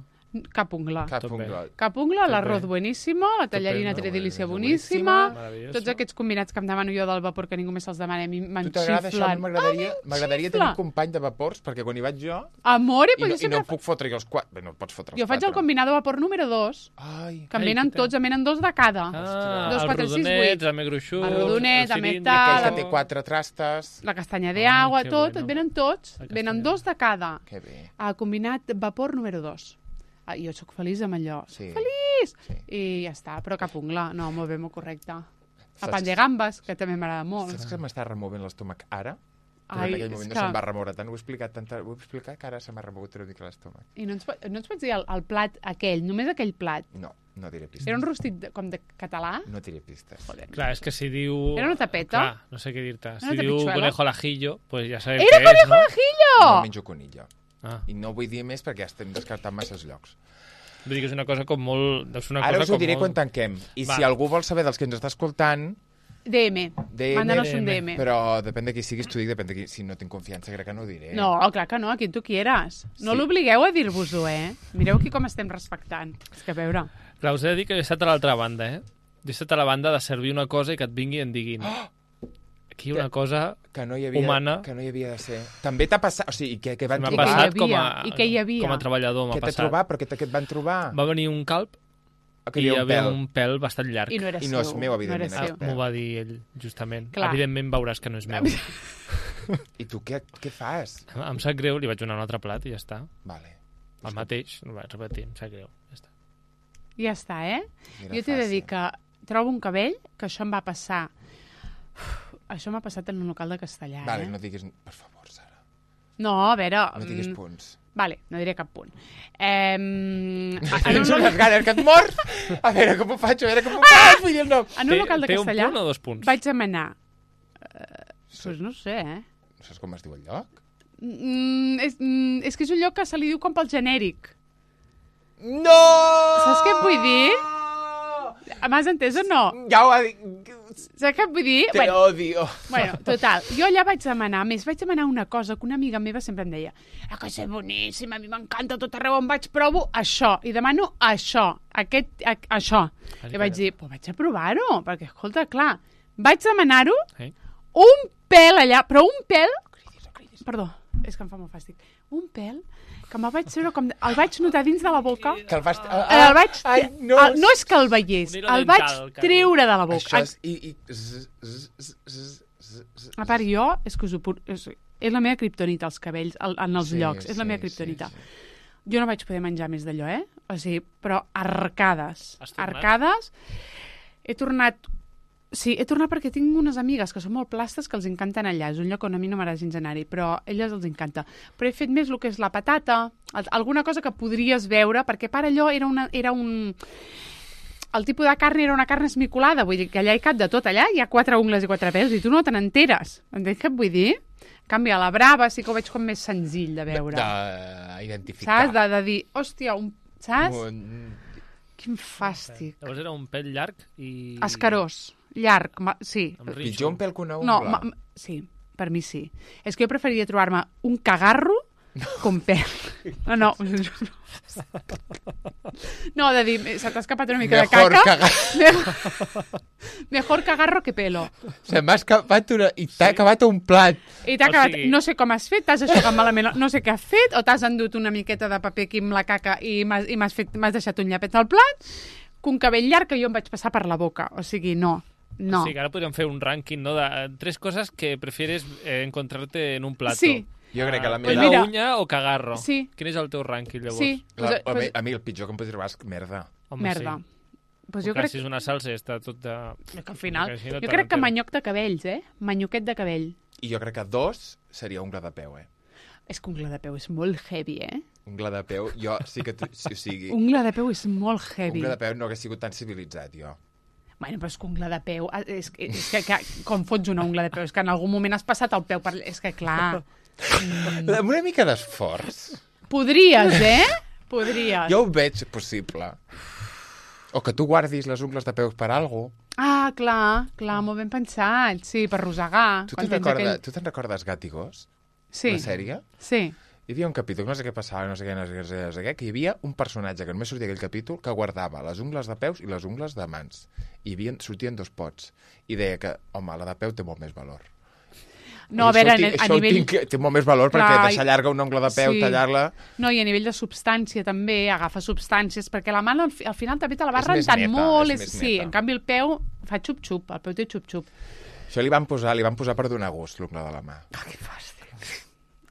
Cap ungla. Cap Tot bé. ungla. Cap ungla, Tot l'arroz bé. bueníssimo, la tallarina Estupendo. tredilícia Boníssima. boníssima, Maravilloso. tots aquests combinats que em demano jo del vapor que ningú més se'ls demana, a mi me'n Tu t'agrada això? A mi xiflen. m'agradaria tenir un company de vapors, perquè quan hi vaig jo... Amore, I però no, jo i no sempre... puc fotre jo els quatre. Bé, no pots fotre els Jo faig el quatre. combinat de vapor número 2, Ai, que en Ai, venen puta. tots, en venen 2 de cada. Ah, 2, 4, 6, 8. el més gruixut... El rodonet, amb cilindre, tal, aquell la- que té 4 trastes. La castanya de agua, que tot, bueno. et venen tots, La venen castanya. 2 de cada. Que bé. El combinat vapor número 2. Jo sóc feliç amb allò. Sí. Feliç! Sí. I ja està, però cap ungla. No, molt bé, molt correcte. Saps- El pan de gambes, que també m'agrada molt. Saps que m'està removent l'estómac ara? Ai, en aquell és moment que- no se'm va remoure tant. Ho he explicat que ara se m'ha remogut una mica l'estómac. I no ens pots dir el plat aquell, només aquell plat. No diré pistes. Era un rostit com de català? No diré pistes. Joder. Clar, és que si diu... Era una tapeta? Clar, no sé què dir-te. Si Una diu tapitxuela? conejo al ajillo, pues ja sabem Era què és, conejo no? al ajillo! No menjo conillo. Ah, I no vull dir més perquè ja estem descartant massa llocs. vull dir que és una cosa com molt... Deu ser una Ara cosa us ho com diré molt... quan tanquem. I Va. si algú vol saber dels que ens està escoltant, DM. Mándanos un DM. però depèn de qui siguis, t'ho dic, depèn de qui... Si no tinc confiança, crec que no ho diré. No, clar que no, a qui tu quieras. No Sí. l'obligueu a dir-vos-ho, Mireu aquí com estem respectant. És que a veure... Clar, us he de dir que he estat a l'altra banda, Jo he estat a la banda de servir una cosa i que et vingui i en diguin. Aquí una cosa que no hi havia, humana. Que no hi havia de ser. També t'ha passat... O sigui, que van m'ha I que hi trobar... passat havia, com a, i que hi havia. com a treballador, m'ha Què t'ha passat. trobat? Però què et van trobar? Va venir un calp Que i hi hi havia havia un pèl. un pèl bastant llarg. I no era I seu. no és meu, No evidentment, era seu. aquest M'ho va dir ell, justament. Clar. Evidentment veuràs que no és meu. I tu què fas? Em sap greu, li vaig donar un altre plat i ja està. Vale. El mateix, no vaig repetir, em sap greu. Ja està. Ja està, Era Jo t'he de dir fàcil. que trobo un cabell, que això em va passar... Això m'ha passat en un local de castellà, Vale, no diguis... Per favor, Sara. No, a veure... No diguis punts. Vale, no diré cap punt. Tens unes ganes que et mors? A veure com ho faig, vull dir el nom. En un local de Té castellà un punt o 2 punts? vaig demanar... Pues no sé, No saps com es diu el lloc? És que és un lloc que se li diu com pel genèric. No! Saps què et vull dir? M'has entès o no? Ja ho ha dit. Saps què et vull dir? Te odio. Bueno, total, jo allà vaig demanar una cosa que una amiga meva sempre em deia que és boníssim, a mi m'encanta tot arreu on vaig, provo això, i demano això, això. I vaig dir, pues vaig a provar-ho, perquè, escolta, clar, vaig demanar-ho, un pèl allà, però un pèl... Perdó, és que em fa molt fàstic. Un pèl que me'l vaig treure com... El vaig notar dins de la boca. Que el vas... El vaig... no. No és que el veiés, el vaig treure de la boca. Això és... A part, jo, és que us ho és la meva kriptonita, els cabells, en els llocs. És la meva kriptonita. Jo no vaig poder menjar més d'allò, O sigui, però arcades. Arcades. He tornat... Sí, he tornat perquè tinc unes amigues que són molt plastes que els encanten allà. És un lloc on a mi no m'agrada gens anar-hi, però a elles els encanta. Però he fet més el que és la patata, alguna cosa que podries veure, perquè per allò era un... El tipus de carn era una carn esmicolada, vull dir que allà hi cap de tot. Allà hi ha 4 ungles i 4 pèls i tu no te n'enteres. Entens què et vull dir? En canvi, a la Brava sí que ho veig com més senzill de veure. D'identificar. Saps? De dir, hòstia, saps? Quin fàstic. Llavors era un pèl llarg i... Escarós. Llarg, sí. Pitjor un pèl que una ungla. No, sí, per mi sí. És que jo preferiria trobar-me un cagarro com pèl. No. No, de dir, se t'ha escapat una mica de caca. Mejor cagarro que pelo. Se m'ha escapat una... I t'ha acabat un plat. I t'ha acabat... No sé com has fet, t'has aixecat malament, no sé què has fet, o t'has endut una miqueta de paper aquí amb la caca i m'has deixat un llapet al plat, que un cabell llarg que jo em vaig passar per la boca. O sigui, no. O sigui, ara podríem fer un rànquing, no?, de 3 coses que prefieres encontrarte en un plato. Sí. Jo crec que la meva... mira, uña o cagarro? Sí. Quin és el teu rànquing, llavors? Sí. A mi el pitjor que em pots trobar és merda. Home, merda. Sí. Pues jo crec... Si és una salsa està tot de... Que al final... Jo crec que manyoc de cabells, Manyoquet de cabell. I jo crec que 2 seria ungla de peu, És que ungla de peu és molt heavy, Ungla de peu, jo sí que... O sigui... Ungla de peu és molt heavy. Ungla de peu no hagués sigut tan civilitzat, jo. Bueno, però és que ungla de peu... És que com fots una ungla de peu? És que en algun moment has passat el peu per... És que, clar... Amb una mica d'esforç. Podries, Podries. Jo ho veig possible. O que tu guardis les ungles de peus per algo. Ah, clar, molt ben pensat. Sí, per rosegar. Tu te'n recordes Gat i Gos? Sí. La sèrie? Sí. Hi havia un capítol, no sé què passava, no sé què, que hi havia un personatge que només sortia aquell capítol que guardava les ungles de peus i les ungles de mans. I sortien 2 pots. I deia que, home, la de peu té molt més valor. No, a veure, a nivell... Té molt més valor perquè deixar llarga una ungla de peu, tallar-la... No, i a nivell de substància també, agafa substàncies, perquè la mà al final també te la vas rentant molt. Sí, en canvi el peu fa xup-xup, el peu té xup-xup. Això li van posar per donar gust, l'ungla de la mà. Ah, que fàstic.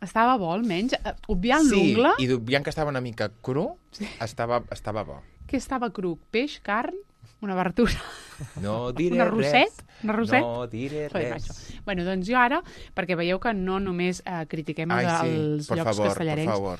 Estava bo, almenys. Obviant l'ungla... Sí, i obviant que estava una mica cru, estava bo. Què estava cru? Peix, carn, una verdura? No diré una roset? res. Una roset? No diré res. Bueno, doncs jo ara, perquè veieu que no només critiquem els llocs castellarencs. Por favor.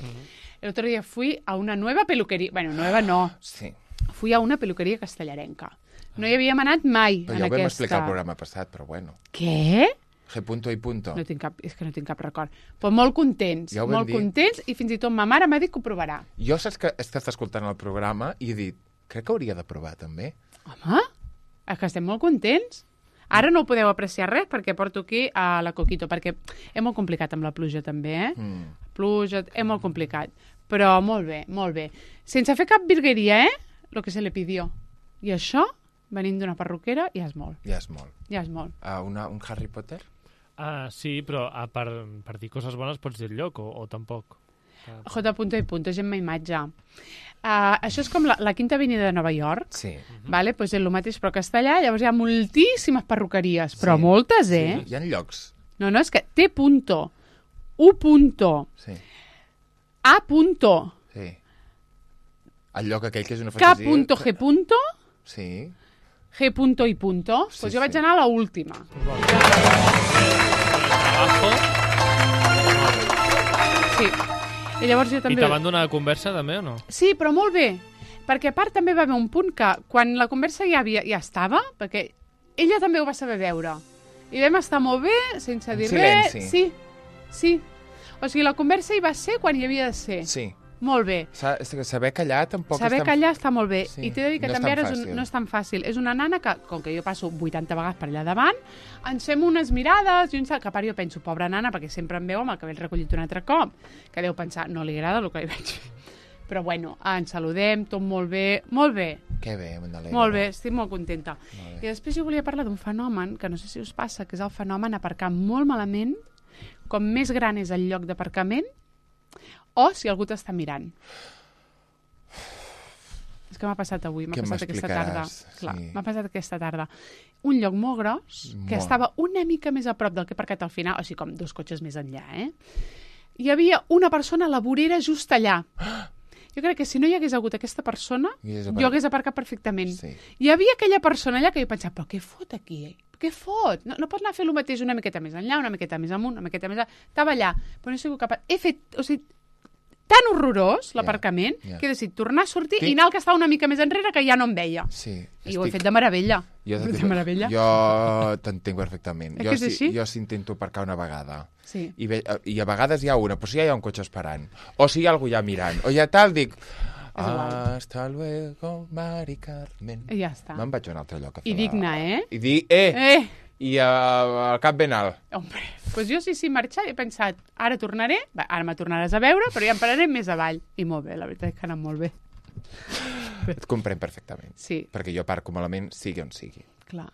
El otro día fui a una nueva peluquería... Bueno, nueva no. Sí. Fui a una peluqueria castellarenca. No hi havíem anat mai però en aquesta... Però ja ho vam explicar el programa passat, però bueno. Què? G punto i punto. No tinc és que no tinc cap record. Però molt contents, ja contents, i fins i tot ma mare m'ha dit que ho provarà. Jo saps que he estat escoltant el programa i he dit, crec que hauria de provar també. Home, és que estem molt contents. Ara no ho podeu apreciar res perquè porto aquí a la Coquito, perquè és molt complicat amb la pluja també, Pluja, és molt complicat. Però molt bé, molt bé. Sense fer cap virgueria, lo que se le pidió. I això, venint d'una perruquera, ja és molt. Ja és molt. Ja és molt. Un Harry Potter? Sí, però per dir coses bones pots dir el lloc o tampoc? J. i punto, Gemma Imatge. Això és com la Quinta Avenida de Nova York. Sí. Vale? Pues és el mateix, però castellà. Llavors hi ha moltíssimes perruqueries, però moltes, Sí. Hi ha llocs. No, és que T. U. Sí. A. Sí. El lloc aquell que és una K. fantasia... G. Sí. G punto i punto. Sí, Pues jo vaig sí. anar a l'última. Sí. I llavors jo I també... te van donar conversa també o no? Sí, però molt bé. Perquè a part també va haver un punt que quan la conversa ja estava, perquè ella també ho va saber veure. I vam estar molt bé, sense dir res. silenci. Sí. O sigui, la conversa hi va ser quan hi havia de ser. Sí. Molt bé. Saber callar tampoc Saber callar està molt bé. Sí, I t'he de dir que no és també tan ara fàcil. no és tan fàcil. És una nana que, com que jo passo 80 vegades per allà davant, ens fem unes mirades i un salt, que a part jo penso, pobra nana, perquè sempre em veu amb el cabell recollit un altre cop, que deu pensar, no li agrada el que li vaig fer. Però bueno, ens saludem, tot molt bé. Molt bé. Que bé, Magdalena. Molt bé, estic molt contenta. Molt bé. I després jo volia parlar d'un fenomen, que no sé si us passa, que és el fenomen aparcar molt malament, com més gran és el lloc d'aparcament, o si algú t'està mirant. És que m'ha passat avui, m'ha Què passat aquesta tarda. m'explicaràs? Clar, Sí. m'ha passat aquesta tarda. Un lloc molt gros, que Molt. estava una mica més a prop del que he aparcat al final, o sigui, com 2 cotxes més enllà, Hi havia una persona a la vorera just allà. Jo crec que si no hi hagués hagut aquesta persona, jo hagués aparcat perfectament. Sí. Hi havia aquella persona allà que jo pensava, però què fot aquí? Què fot? No pot anar a fer el mateix una miqueta més enllà, una miqueta més amunt, una miqueta més... Estava allà, però no he sigut capaç... He fet... O sigui, tan horrorós l'aparcament que he decidit tornar a sortir i anar al que estava una mica més enrere que ja no em veia. Sí. I ho he fet de meravella. De meravella. Jo t'entenc perfectament. Que és així? Jo s'intento aparcar una vegada. Sí. I a vegades hi ha una, però si ja hi ha un cotxe esperant. O si hi ha algú ja mirant. O ja tal, dic... igual. Hasta luego, Mari Carmen. I ja està. Me'n vaig a un altre lloc a fer I digna, I dir, I al cap ben alt. Hombre, doncs jo sí, marxar, he pensat, ara tornaré, ara me tornaràs a veure, però ja em pararé més avall. I molt bé, la veritat és que ha anat molt bé. Et comprenc perfectament. Sí. Perquè jo aparco malament, sigui on sigui. Clar.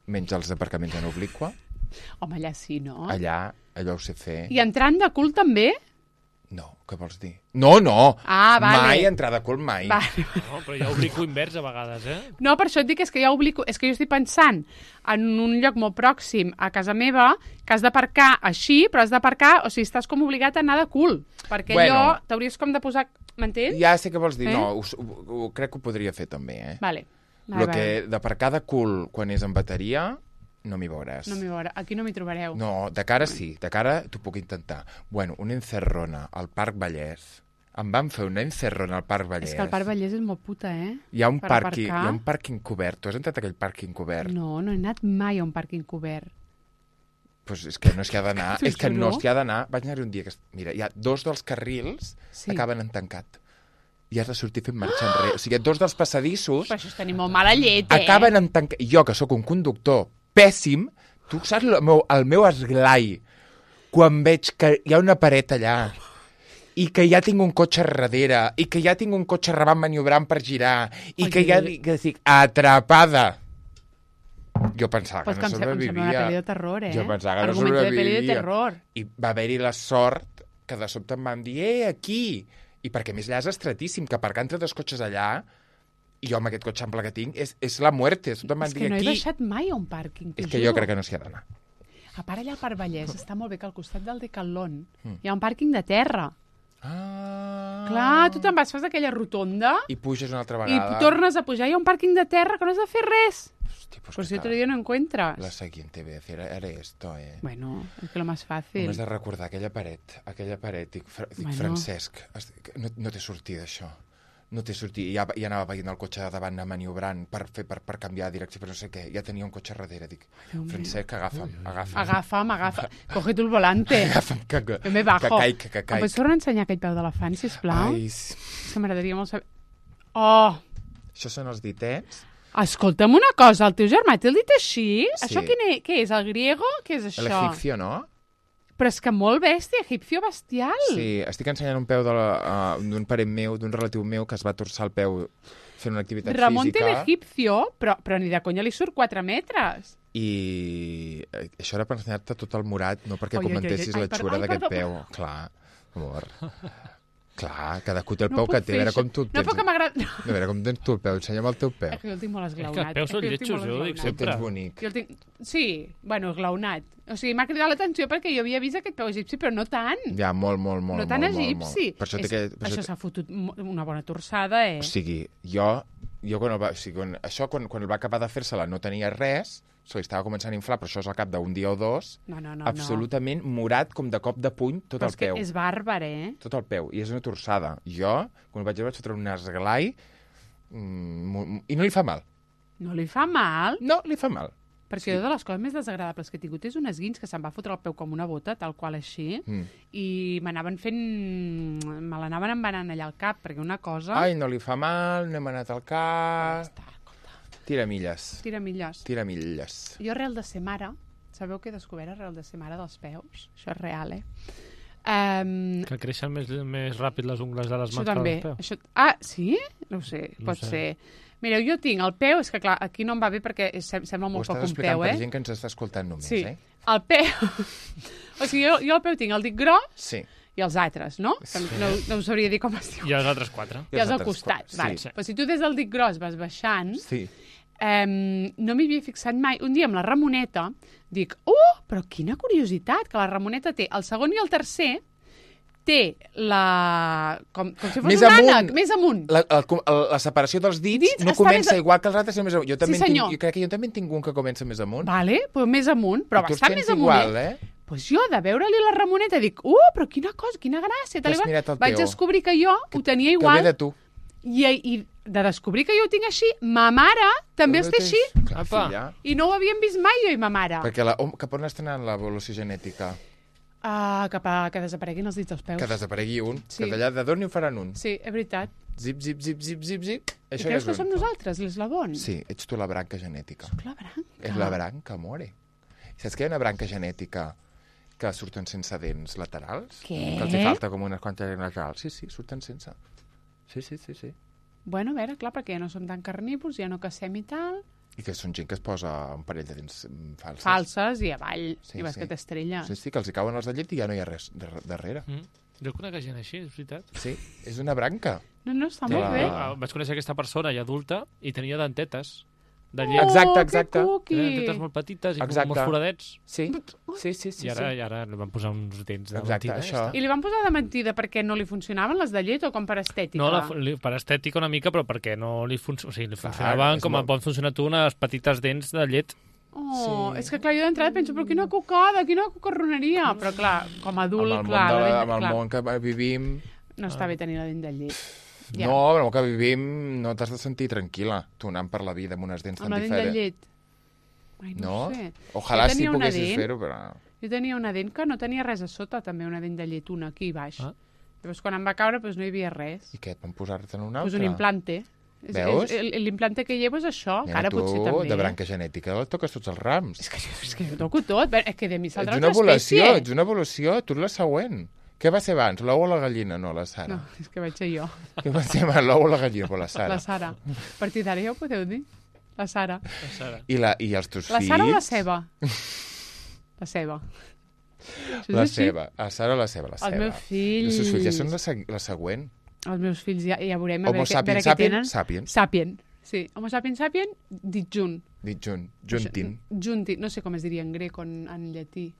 Menys els aparcaments en obliqua. Home, allà sí, no? Allà, allò ho sé fer. I entrant de cul també? No, què vols dir? No, no! Ah, vale. Mai entrar de cul, mai. Vale. No, però jo oblico invers a vegades, No, per això et dic és que ja oblico... És que jo estic pensant en un lloc molt pròxim a casa meva que has d'aparcar així, però has d'aparcar... O sigui, estàs com obligat a anar de cul. Perquè allò t'hauries com de posar... M'entens? Ja sé què vols dir. No, crec que ho podria fer també, Vale. Lo que d'aparcar de cul quan és en bateria... No m'hi veuràs. No m'hi veurà. Aquí no m'hi trobareu. No, de cara sí. De cara t'ho puc intentar. Bueno, una encerrona al Parc Vallès. Em van fer una encerrona al Parc Vallès. És que el Parc Vallès és molt puta, Hi ha un pàrquing cobert. Tu has entrat a aquell pàrquing cobert? No, no he anat mai a un pàrquing cobert. Pues és que no s'hi ha d'anar. T'ho És que juro. no s'hi ha d'anar. Vaig anar-hi un dia que... Mira, hi ha 2 dels carrils acaben en tancat. I has de sortir fent marxa enrere. O sigui, 2 dels passadissos... Però això és tenir molt mala llet, acaben en tancat. Jo, que sóc un conductor pèssim, tu saps el meu esglai quan veig que hi ha una paret allà i que ja tinc un cotxe darrere i que ja tinc un cotxe rebant maniobrant per girar i que ja dic, atrapada. Jo pensava que no sobrevivia. Em sembla una pel·li de terror, Jo pensava que no Argument sobrevivia. de pel·li de terror. I va haver-hi la sort que de sobte em van dir, aquí! I perquè a més allà és estretíssim, que aparcar entre 2 cotxes allà, i jo amb aquest cotxe ample que tinc, és la muerte. És que no he baixat mai a un pàrquing. És que jo crec que no s'hi ha d'anar. A part allà al Parc Vallès està molt bé que al costat del Decathlon hi ha un pàrquing de terra. Clar, tu te'n vas, fas aquella rotonda i puges una altra i vegada. tornes a pujar. Hi ha un pàrquing de terra que no has de fer res. Hòstia, pues Por si otro día no encuentras. La siguiente vez haré esto, Bueno, es que lo más fácil. Només de recordar aquella paret. Dic, Francesc, no t'he sortit d'això. No t'he sortit. Ja anava veient el cotxe de davant maniobrant per canviar de direcció, però no sé què. Ja tenia un cotxe darrere. Dic, Francesc, agafa'm. Coge tu el volante. Agafa'm, Jo me bajo. que caic. Em pots tornar a ensenyar aquell peu d'elefant, sisplau? Ai, és que m'agradaria molt saber... Oh! Això són els ditets. Escolta'm una cosa, el teu germà t'ha dit així? Sí. Això què és, el griego? Què és això? L'egipcio, no? Però és que molt bèstia, egipcio bestial. Sí, estic ensenyant un peu d'un parent meu, d'un relatiu meu, que es va torçar el peu fent una activitat Ramon física. té l'egipcio, però ni de conya li surt 4 metres. I això era per ensenyar-te tot el morat, no perquè comentessis la xura d'aquest peu. Clar, amor. Clar, cadascú té el peu que té. A veure com tu el tens. No, però que m'agrada... A veure com tens tu el peu. Ensenya'm el teu peu. És que jo el tinc molt esglaonat. És que els peus són lletjos, jo ho dic El sempre. tens bonic. Jo el tinc... Sí, bueno, esglaonat. O sigui, m'ha cridat l'atenció perquè jo havia vist aquest peu egipci, però no tant. Ja, molt. No tan egipci. Per això Això s'ha fotut una bona torçada, O sigui, jo jo quan va acabar de fer-se-la no tenia res, se li estava començant a inflar, però això és al cap d'un dia o dos, No. absolutament morat com de cop de puny tot Però el peu. és bàrbar, Tot el peu, i és una torçada. Jo, quan ho vaig veure, vaig fotre un esglai i no li fa mal. No li fa mal? No, li fa mal. Perquè una de les coses més desagradables que he tingut és un esguins que se'm va fotre el peu com una bota, tal qual així, i me l'anaven embanant allà al cap, perquè una cosa... Ai, no li fa mal, no hem anat al cas... Tira milles. Tira milles. Tira milles. Jo, arrel de ser mare, sabeu què he descobert arrel de ser mare dels peus? Això és real, Que creixen més ràpid les ungles de les Això mans també. que dels peus. Ah, sí? No ho sé, No pot sé. ser. Mireu, jo tinc el peu, és que clar, aquí no em va bé perquè sembla Ho molt estàs poc un explicant peu, per gent que ens està escoltant només, Sí, eh? el peu... O sigui, jo el peu tinc el dit gros Sí. i els altres, no? Que no us sabria dir com es diu. I els altres 4. I els al altres costat. sí. Vale. Sí. Però si tu des del dit gros vas baixant, Sí. no m'hi havia fixat mai. Un dia amb la Ramoneta dic, però quina curiositat, que la Ramoneta té el segon i el tercer, té la... com si fos Més un amunt. ànec, més amunt. La separació dels dits no està comença més igual que els altres, sinó més amunt. Jo també Sí, senyor. jo crec que jo també en tinc un que comença més amunt. Vale, però més amunt, però I tu els bastant tens més amunt. igual, eh? Pues jo, de veure-li la Ramoneta, dic, però quina cosa, quina gràcia. T'has mirat el Vaig teu. descobrir que jo ho tenia Que igual. ve de tu. I de descobrir que jo ho tinc així, ma mare també els té així. Clar, Apa. filla. I no ho havíem vist mai, jo i ma mare. Perquè cap on està anant l'evolució genètica? Cap a que desapareguin els dits dels peus. Que desaparegui un. Sí. Que d'allà de d'on hi ho faran un. Sí, és veritat. Zip, zip, zip, zip, zip, zip. I Això ja creus és que un. som nosaltres, l'eslabon? Sí, ets tu la branca genètica. La branca. És la branca, amore. Saps que hi ha una branca genètica que surten sense dents laterals? Què? Que els hi falta com unes quantes dents laterals. Sí, sí, surten sense. Sí. Bueno, a veure, clar, perquè ja no som tan carnívors, ja no cacem i tal. I que són gent que es posa un parell de dents falses. Falses i avall. Sí, I vas sí. que t'estrelles. Sí, que els hi cauen els de llet i ja no hi ha res darrere. Jo conec gent així, és veritat. Sí, és una branca. No, està Clar. molt bé. Vaig conèixer aquesta persona ja adulta i tenia dentetes de Oh, llet. Exacte. que cuqui. Tenia dentetes molt petites i com Exacte. molts foradets. Sí. I ara li van posar uns dents de Exacte, mentida. això. I li van posar de mentida perquè no li funcionaven les de llet o com per estètica? No, per estètica una mica, però perquè no li, o sigui, li Clar, funcionaven és com molt- poden funcionar tu unes petites dents de llet. Oh, Sí. és que clar, jo d'entrada penso, però quina cucada, quina cucarroneria. Però clar, com a adult, Amb el, clar, món, la dent- amb el clar, món que vivim... no està bé tenir la dent de llet. Ja. No, amb el que vivim no t'has de sentir tranquil·la, tu anant per la vida amb unes dents Amb tan la dent de diferents. llet. Ai, no, No? sé. Ojalà Jo si tenia una poguessis dent. fer-ho, però... Jo tenia una dent que no tenia res a sota, també una dent de llet, una aquí baix. Ah. Llavors, quan em va caure, doncs no hi havia res. I què, et van posar-te'n una Pues altra? un implante. Veus? L'implante que llevo és això, que Nena, ara tu, potser també. de branca genètica, el toques tots els rams. És que jo toco tot, és que de mi Ets saldrà una altra evolució, espècie. ets una evolució, tu ets la següent. Què va ser abans, l'ou o la gallina? No, la Sara. No, és que vaig ser jo, Què va ser abans, l'ou o la gallina? Però la Sara. la Sara. A partir d'ara ja ho podeu dir. La Sara. La Sara. I els teus La fills? Sara o la ceba? La ceba. Això és La així. ceba. La Sara o la ceba? La Els ceba. meus fills... Els teus fills ja són la següent. Els meus fills ja veurem a Homo veure, a veure sapiens què sapiens, tenen. sapiens. Sapien. Sí, Homo sapiens sapien, dit junt. Dit juntin. Junti, no sé com es diria en grec o en llatí.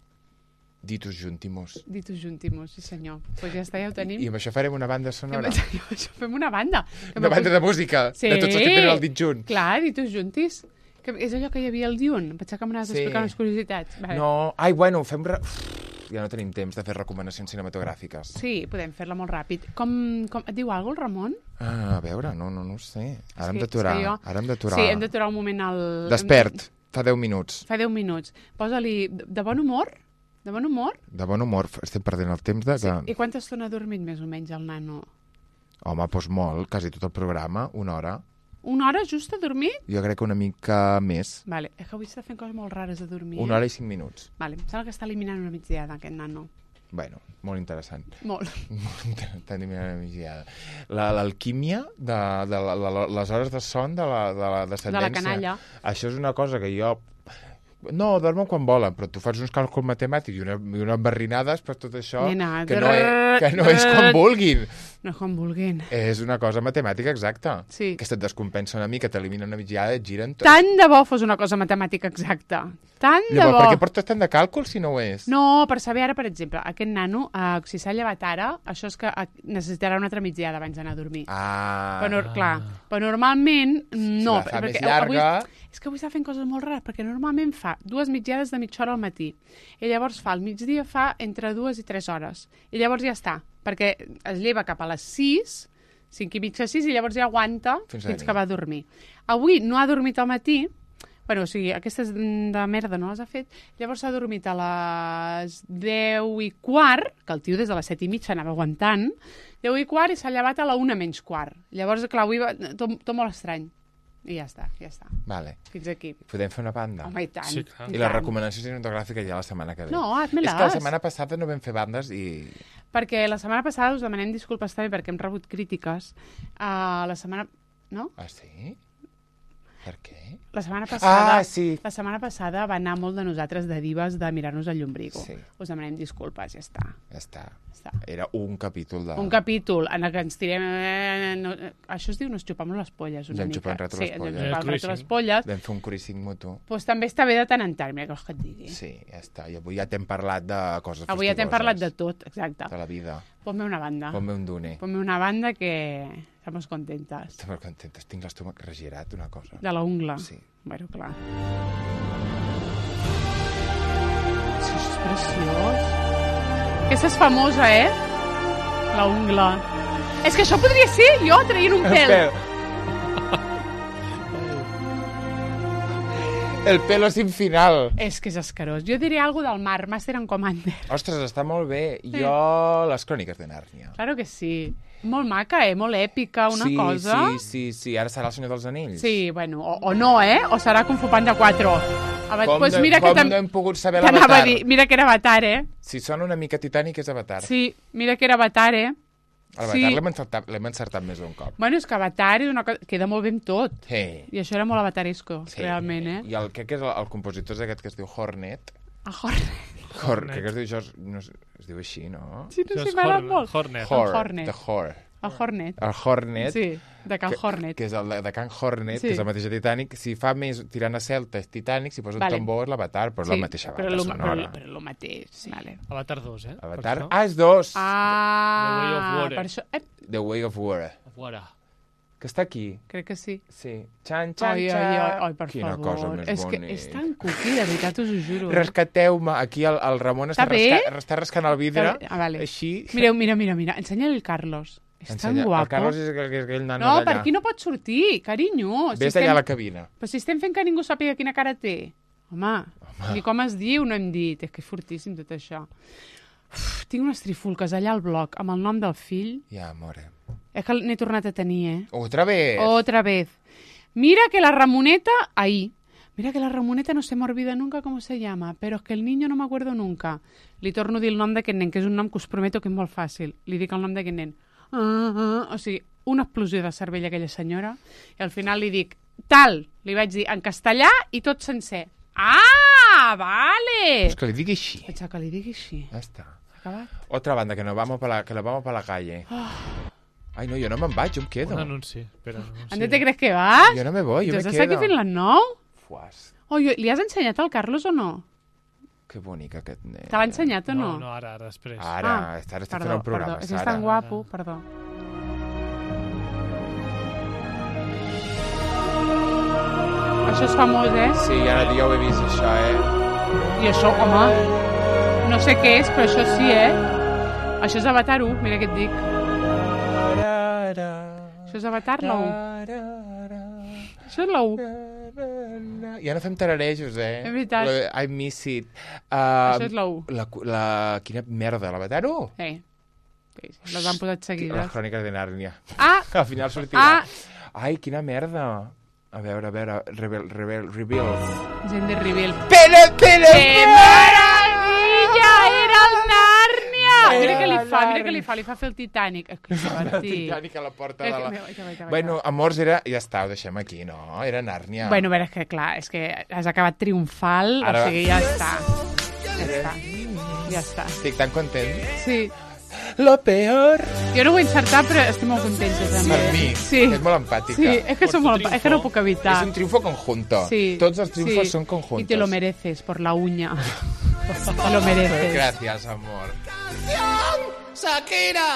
Ditus juntimus. Ditus juntimus, sí senyor. Pues ja està, ja ho tenim. I amb això farem una banda sonora. Fem una banda. Que Una banda de música, Sí. de tots els que tenen el dit junt. Clar, ditus juntis. Que és allò que hi havia al Dune. Em pensava que m'anaves a Sí. explicar unes curiositats. Vale. No, ai, bueno, fem... Ja no tenim temps de fer recomanacions cinematogràfiques. Sí, podem fer-la molt ràpid. Com et diu alguna cosa, el Ramon? Ah, a veure, no ho sé. Ara hem És que d'aturar. jo- Ara hem d'aturar. Sí, hem d'aturar un moment al... Despert, fa 10 minuts. Fa 10 minuts. Posa-li de bon humor. De bon humor. De bon humor, estem perdent el temps de... Sí. Que... I quanta estona ha dormit més o menys el nano? Home, doncs molt, quasi tot el programa, una hora. Una hora just a dormir? Jo crec que una mica més. Vale, és que avui està fent coses molt rares de dormir. Una hora i 5 minuts. Vale, em sembla que està eliminant una migdiada, aquest nano. Bueno, molt interessant. Molt. Està eliminant una migdiada. L'alquímia de les hores de son de la descendència. canalla. Això és una cosa que jo No, dormen quan volen, però tu fas uns càlculs matemàtics i unes barrinades per tot això, Nena, que no és quan vulguin. No és quan vulguin. És una cosa matemàtica exacta. Sí. Que se't descompensa una mica, t'elimina una mitjana, et giren tot. Tant de bo fos una cosa matemàtica exacta. Tant de Llavors, bo. per què portes tant de càlcul si no ho és? No, per saber ara, per exemple, aquest nano, si s'ha llevat ara, això és que necessitarà una altra migdiada abans d'anar a dormir. Però normalment no. Si la fa més perquè llarga... És que avui està fent coses molt rares, perquè normalment fa 2 migdiades de mitja hora al matí. I llavors al migdia fa entre 2 i 3 hores. I llavors ja està, perquè es lleva cap a les 6, 5 i mitja 6, i llavors ja aguanta fins que va a dormir. Avui no ha dormit al matí, o sigui, aquestes de merda no les ha fet, llavors s'ha dormit a les 10:15, que el tio des de les 7:30 anava aguantant, 10:15 i s'ha llevat a la 1:15. Llavors, clar, avui va tot molt estrany. I ja està. Vale. Fins aquí. Podem fer una banda? Home, i tant. Sí, clar. I la recomanació cinematogràfica ja la setmana que ve. No, hazme-les. És que la setmana passada no vam fer bandes i... Perquè la setmana passada us demanem disculpes també perquè hem rebut crítiques. La setmana... No? Ah, sí? Per què? La setmana passada, sí. La setmana passada va anar molt de nosaltres de divas de mirar-nos el llombrigo. Sí. Us demanem disculpes, ja està. Ja està. Era un capítol de... Un capítol en el que ens tirem... Això es diu nos xupamos les polles una ens mica. xupem rato les polles. Ens xupem rato les polles. Vam fer un cruising mutu. Pues també està bé de tant en tant, mira que vols que et digui. Sí, ja està. I avui ja t'hem parlat de coses Avui ja t'hem parlat de tot, exacte. De la vida. Ponme una banda. Ponme un dune. Ponme una banda que estamos contentas. Estem molt contentes. Tinc l'estómac regirat, una cosa. De la ungla. Sí. Bueno, clar. Sí, això és preciós. Aquesta és famosa, La ungla. És que això podria ser jo traient un pèl. El pelo sin final. És que és escarós. Jo diré alguna del mar, Master and Commander. Ostres, està molt bé. Sí. Jo, les cròniques de Nàrnia. Claro que sí. Molt maca, molt èpica, una cosa. Sí. Ara serà el Senyor dels Anells. Sí, bueno, o no, o serà Kung Fu Panda 4. Pues mira que no hem pogut saber l'Avatar? T'anava a dir, mira que era Avatar, Si sona una mica Titanic és Avatar. Sí, mira que era Avatar, L'Avatar l'hem encertat més d'un cop. Bueno, és que Avatar és una cosa... queda molt bé amb tot. Sí. I això era molt avataresco, realment, I el que és el compositor és aquest que es diu Hornet. Hornet. Que es diu això, no, es diu així, no? Sí, no sé, m'agrada molt. Hornet. Hornet. The Hornet. El Hornet. El Hornet. Sí, de Can Hornet. Que és el de Can Hornet, que és el mateix de Titanic. Si fa més tirant a Celta és Titanic, si posa un tambor és l'Avatar, però és la mateixa banda sonora. Però el mateix, sí. Vale. Avatar 2, Avatar, és 2. The Way of Water. Per això... The Way of Water. Que està aquí. Crec que sí. Sí. Ai, per quina favor. cosa més és bonica. que és tan cuqui, de veritat, us ho juro. Rescateu-me. Aquí el Ramon està rascant el vidre. Vale. Així. Mira. Ensenya-li el Carlos. És tan guapo. El Carlos és aquell nano d'allà. No, per aquí no pot sortir, carinyo. Ves d'allà a la cabina. Però si estem fent que ningú sàpiga quina cara té. Home, ni com es diu, no hem dit. És que és fortíssim tot això. Tinc unes trifulques allà al bloc amb el nom del fill. Ja, amore. És que n'he tornat a tenir, Otra vez. Mira que la Ramoneta... Mira que la Ramoneta no se me olvida nunca cómo se llama, pero es que el niño no me acuerdo nunca. Li torno a dir el nom d'aquest nen, que és un nom que us prometo que és molt fàcil. Li dic el nom d'aquest nen. O sigui, una explosió de cervell aquella senyora, i al final li dic, li vaig dir en castellà i tot sencer. Vale! És que li digui així. Pensa que li digui així. Ja està. Acabat? Otra banda, que nos vamos para la calle. Ai, no, jo no me'n vaig, jo em quedo. Un anunci, espera. ¿Dónde te crees que vas? Jo no me voy, jo me quedo. ¿Estàs aquí fent les 9? Fuas. Li has ensenyat al Carlos o no? Que bonic aquest nen. Te l'ha ensenyat o no? No, ara, després. Ara estic fent un programa, Perdó, és tan guapo, perdó. Això és famós, Sí, ara jo ho he vist, això, I això, home, no sé què és, però això sí, Això és Avatar 1, mira què et dic. Això és Avatar la 1. Això és la 1. Ja no fem tararejos, És veritat. I miss it. Això és la 1. Quina merda, l'Avatar 1? Sí, les han posat seguides. Les cròniques de Nàrnia. Al final sortirà. Ai, quina merda. A veure, Reveals. Gent de Reveal. Però! ¡Qué maravilla! ¡Era el Nàrnia! Mira què li li fa fer el Titanic. Que El divertit. Titanic a la porta de la... Vaig. Bueno, amors, era... Ja està, ho deixem aquí, no? Era Nàrnia. Bueno, a veure, és que clar, és que has acabat triomfal, Ara- o sigui, ja està. Ja està. Estic tan content. Sí. Lo peor. Jo no ho he encertat, però estic molt contenta també. Per mi. Sí. És molt empàtica. Sí, és que, Por tu és que no puc evitar. És un triunfo conjunto. Sí. Tots els triunfos són conjuntos. Y te lo mereces por la uña. Te lo mereces. Gracias, amor. Shakira.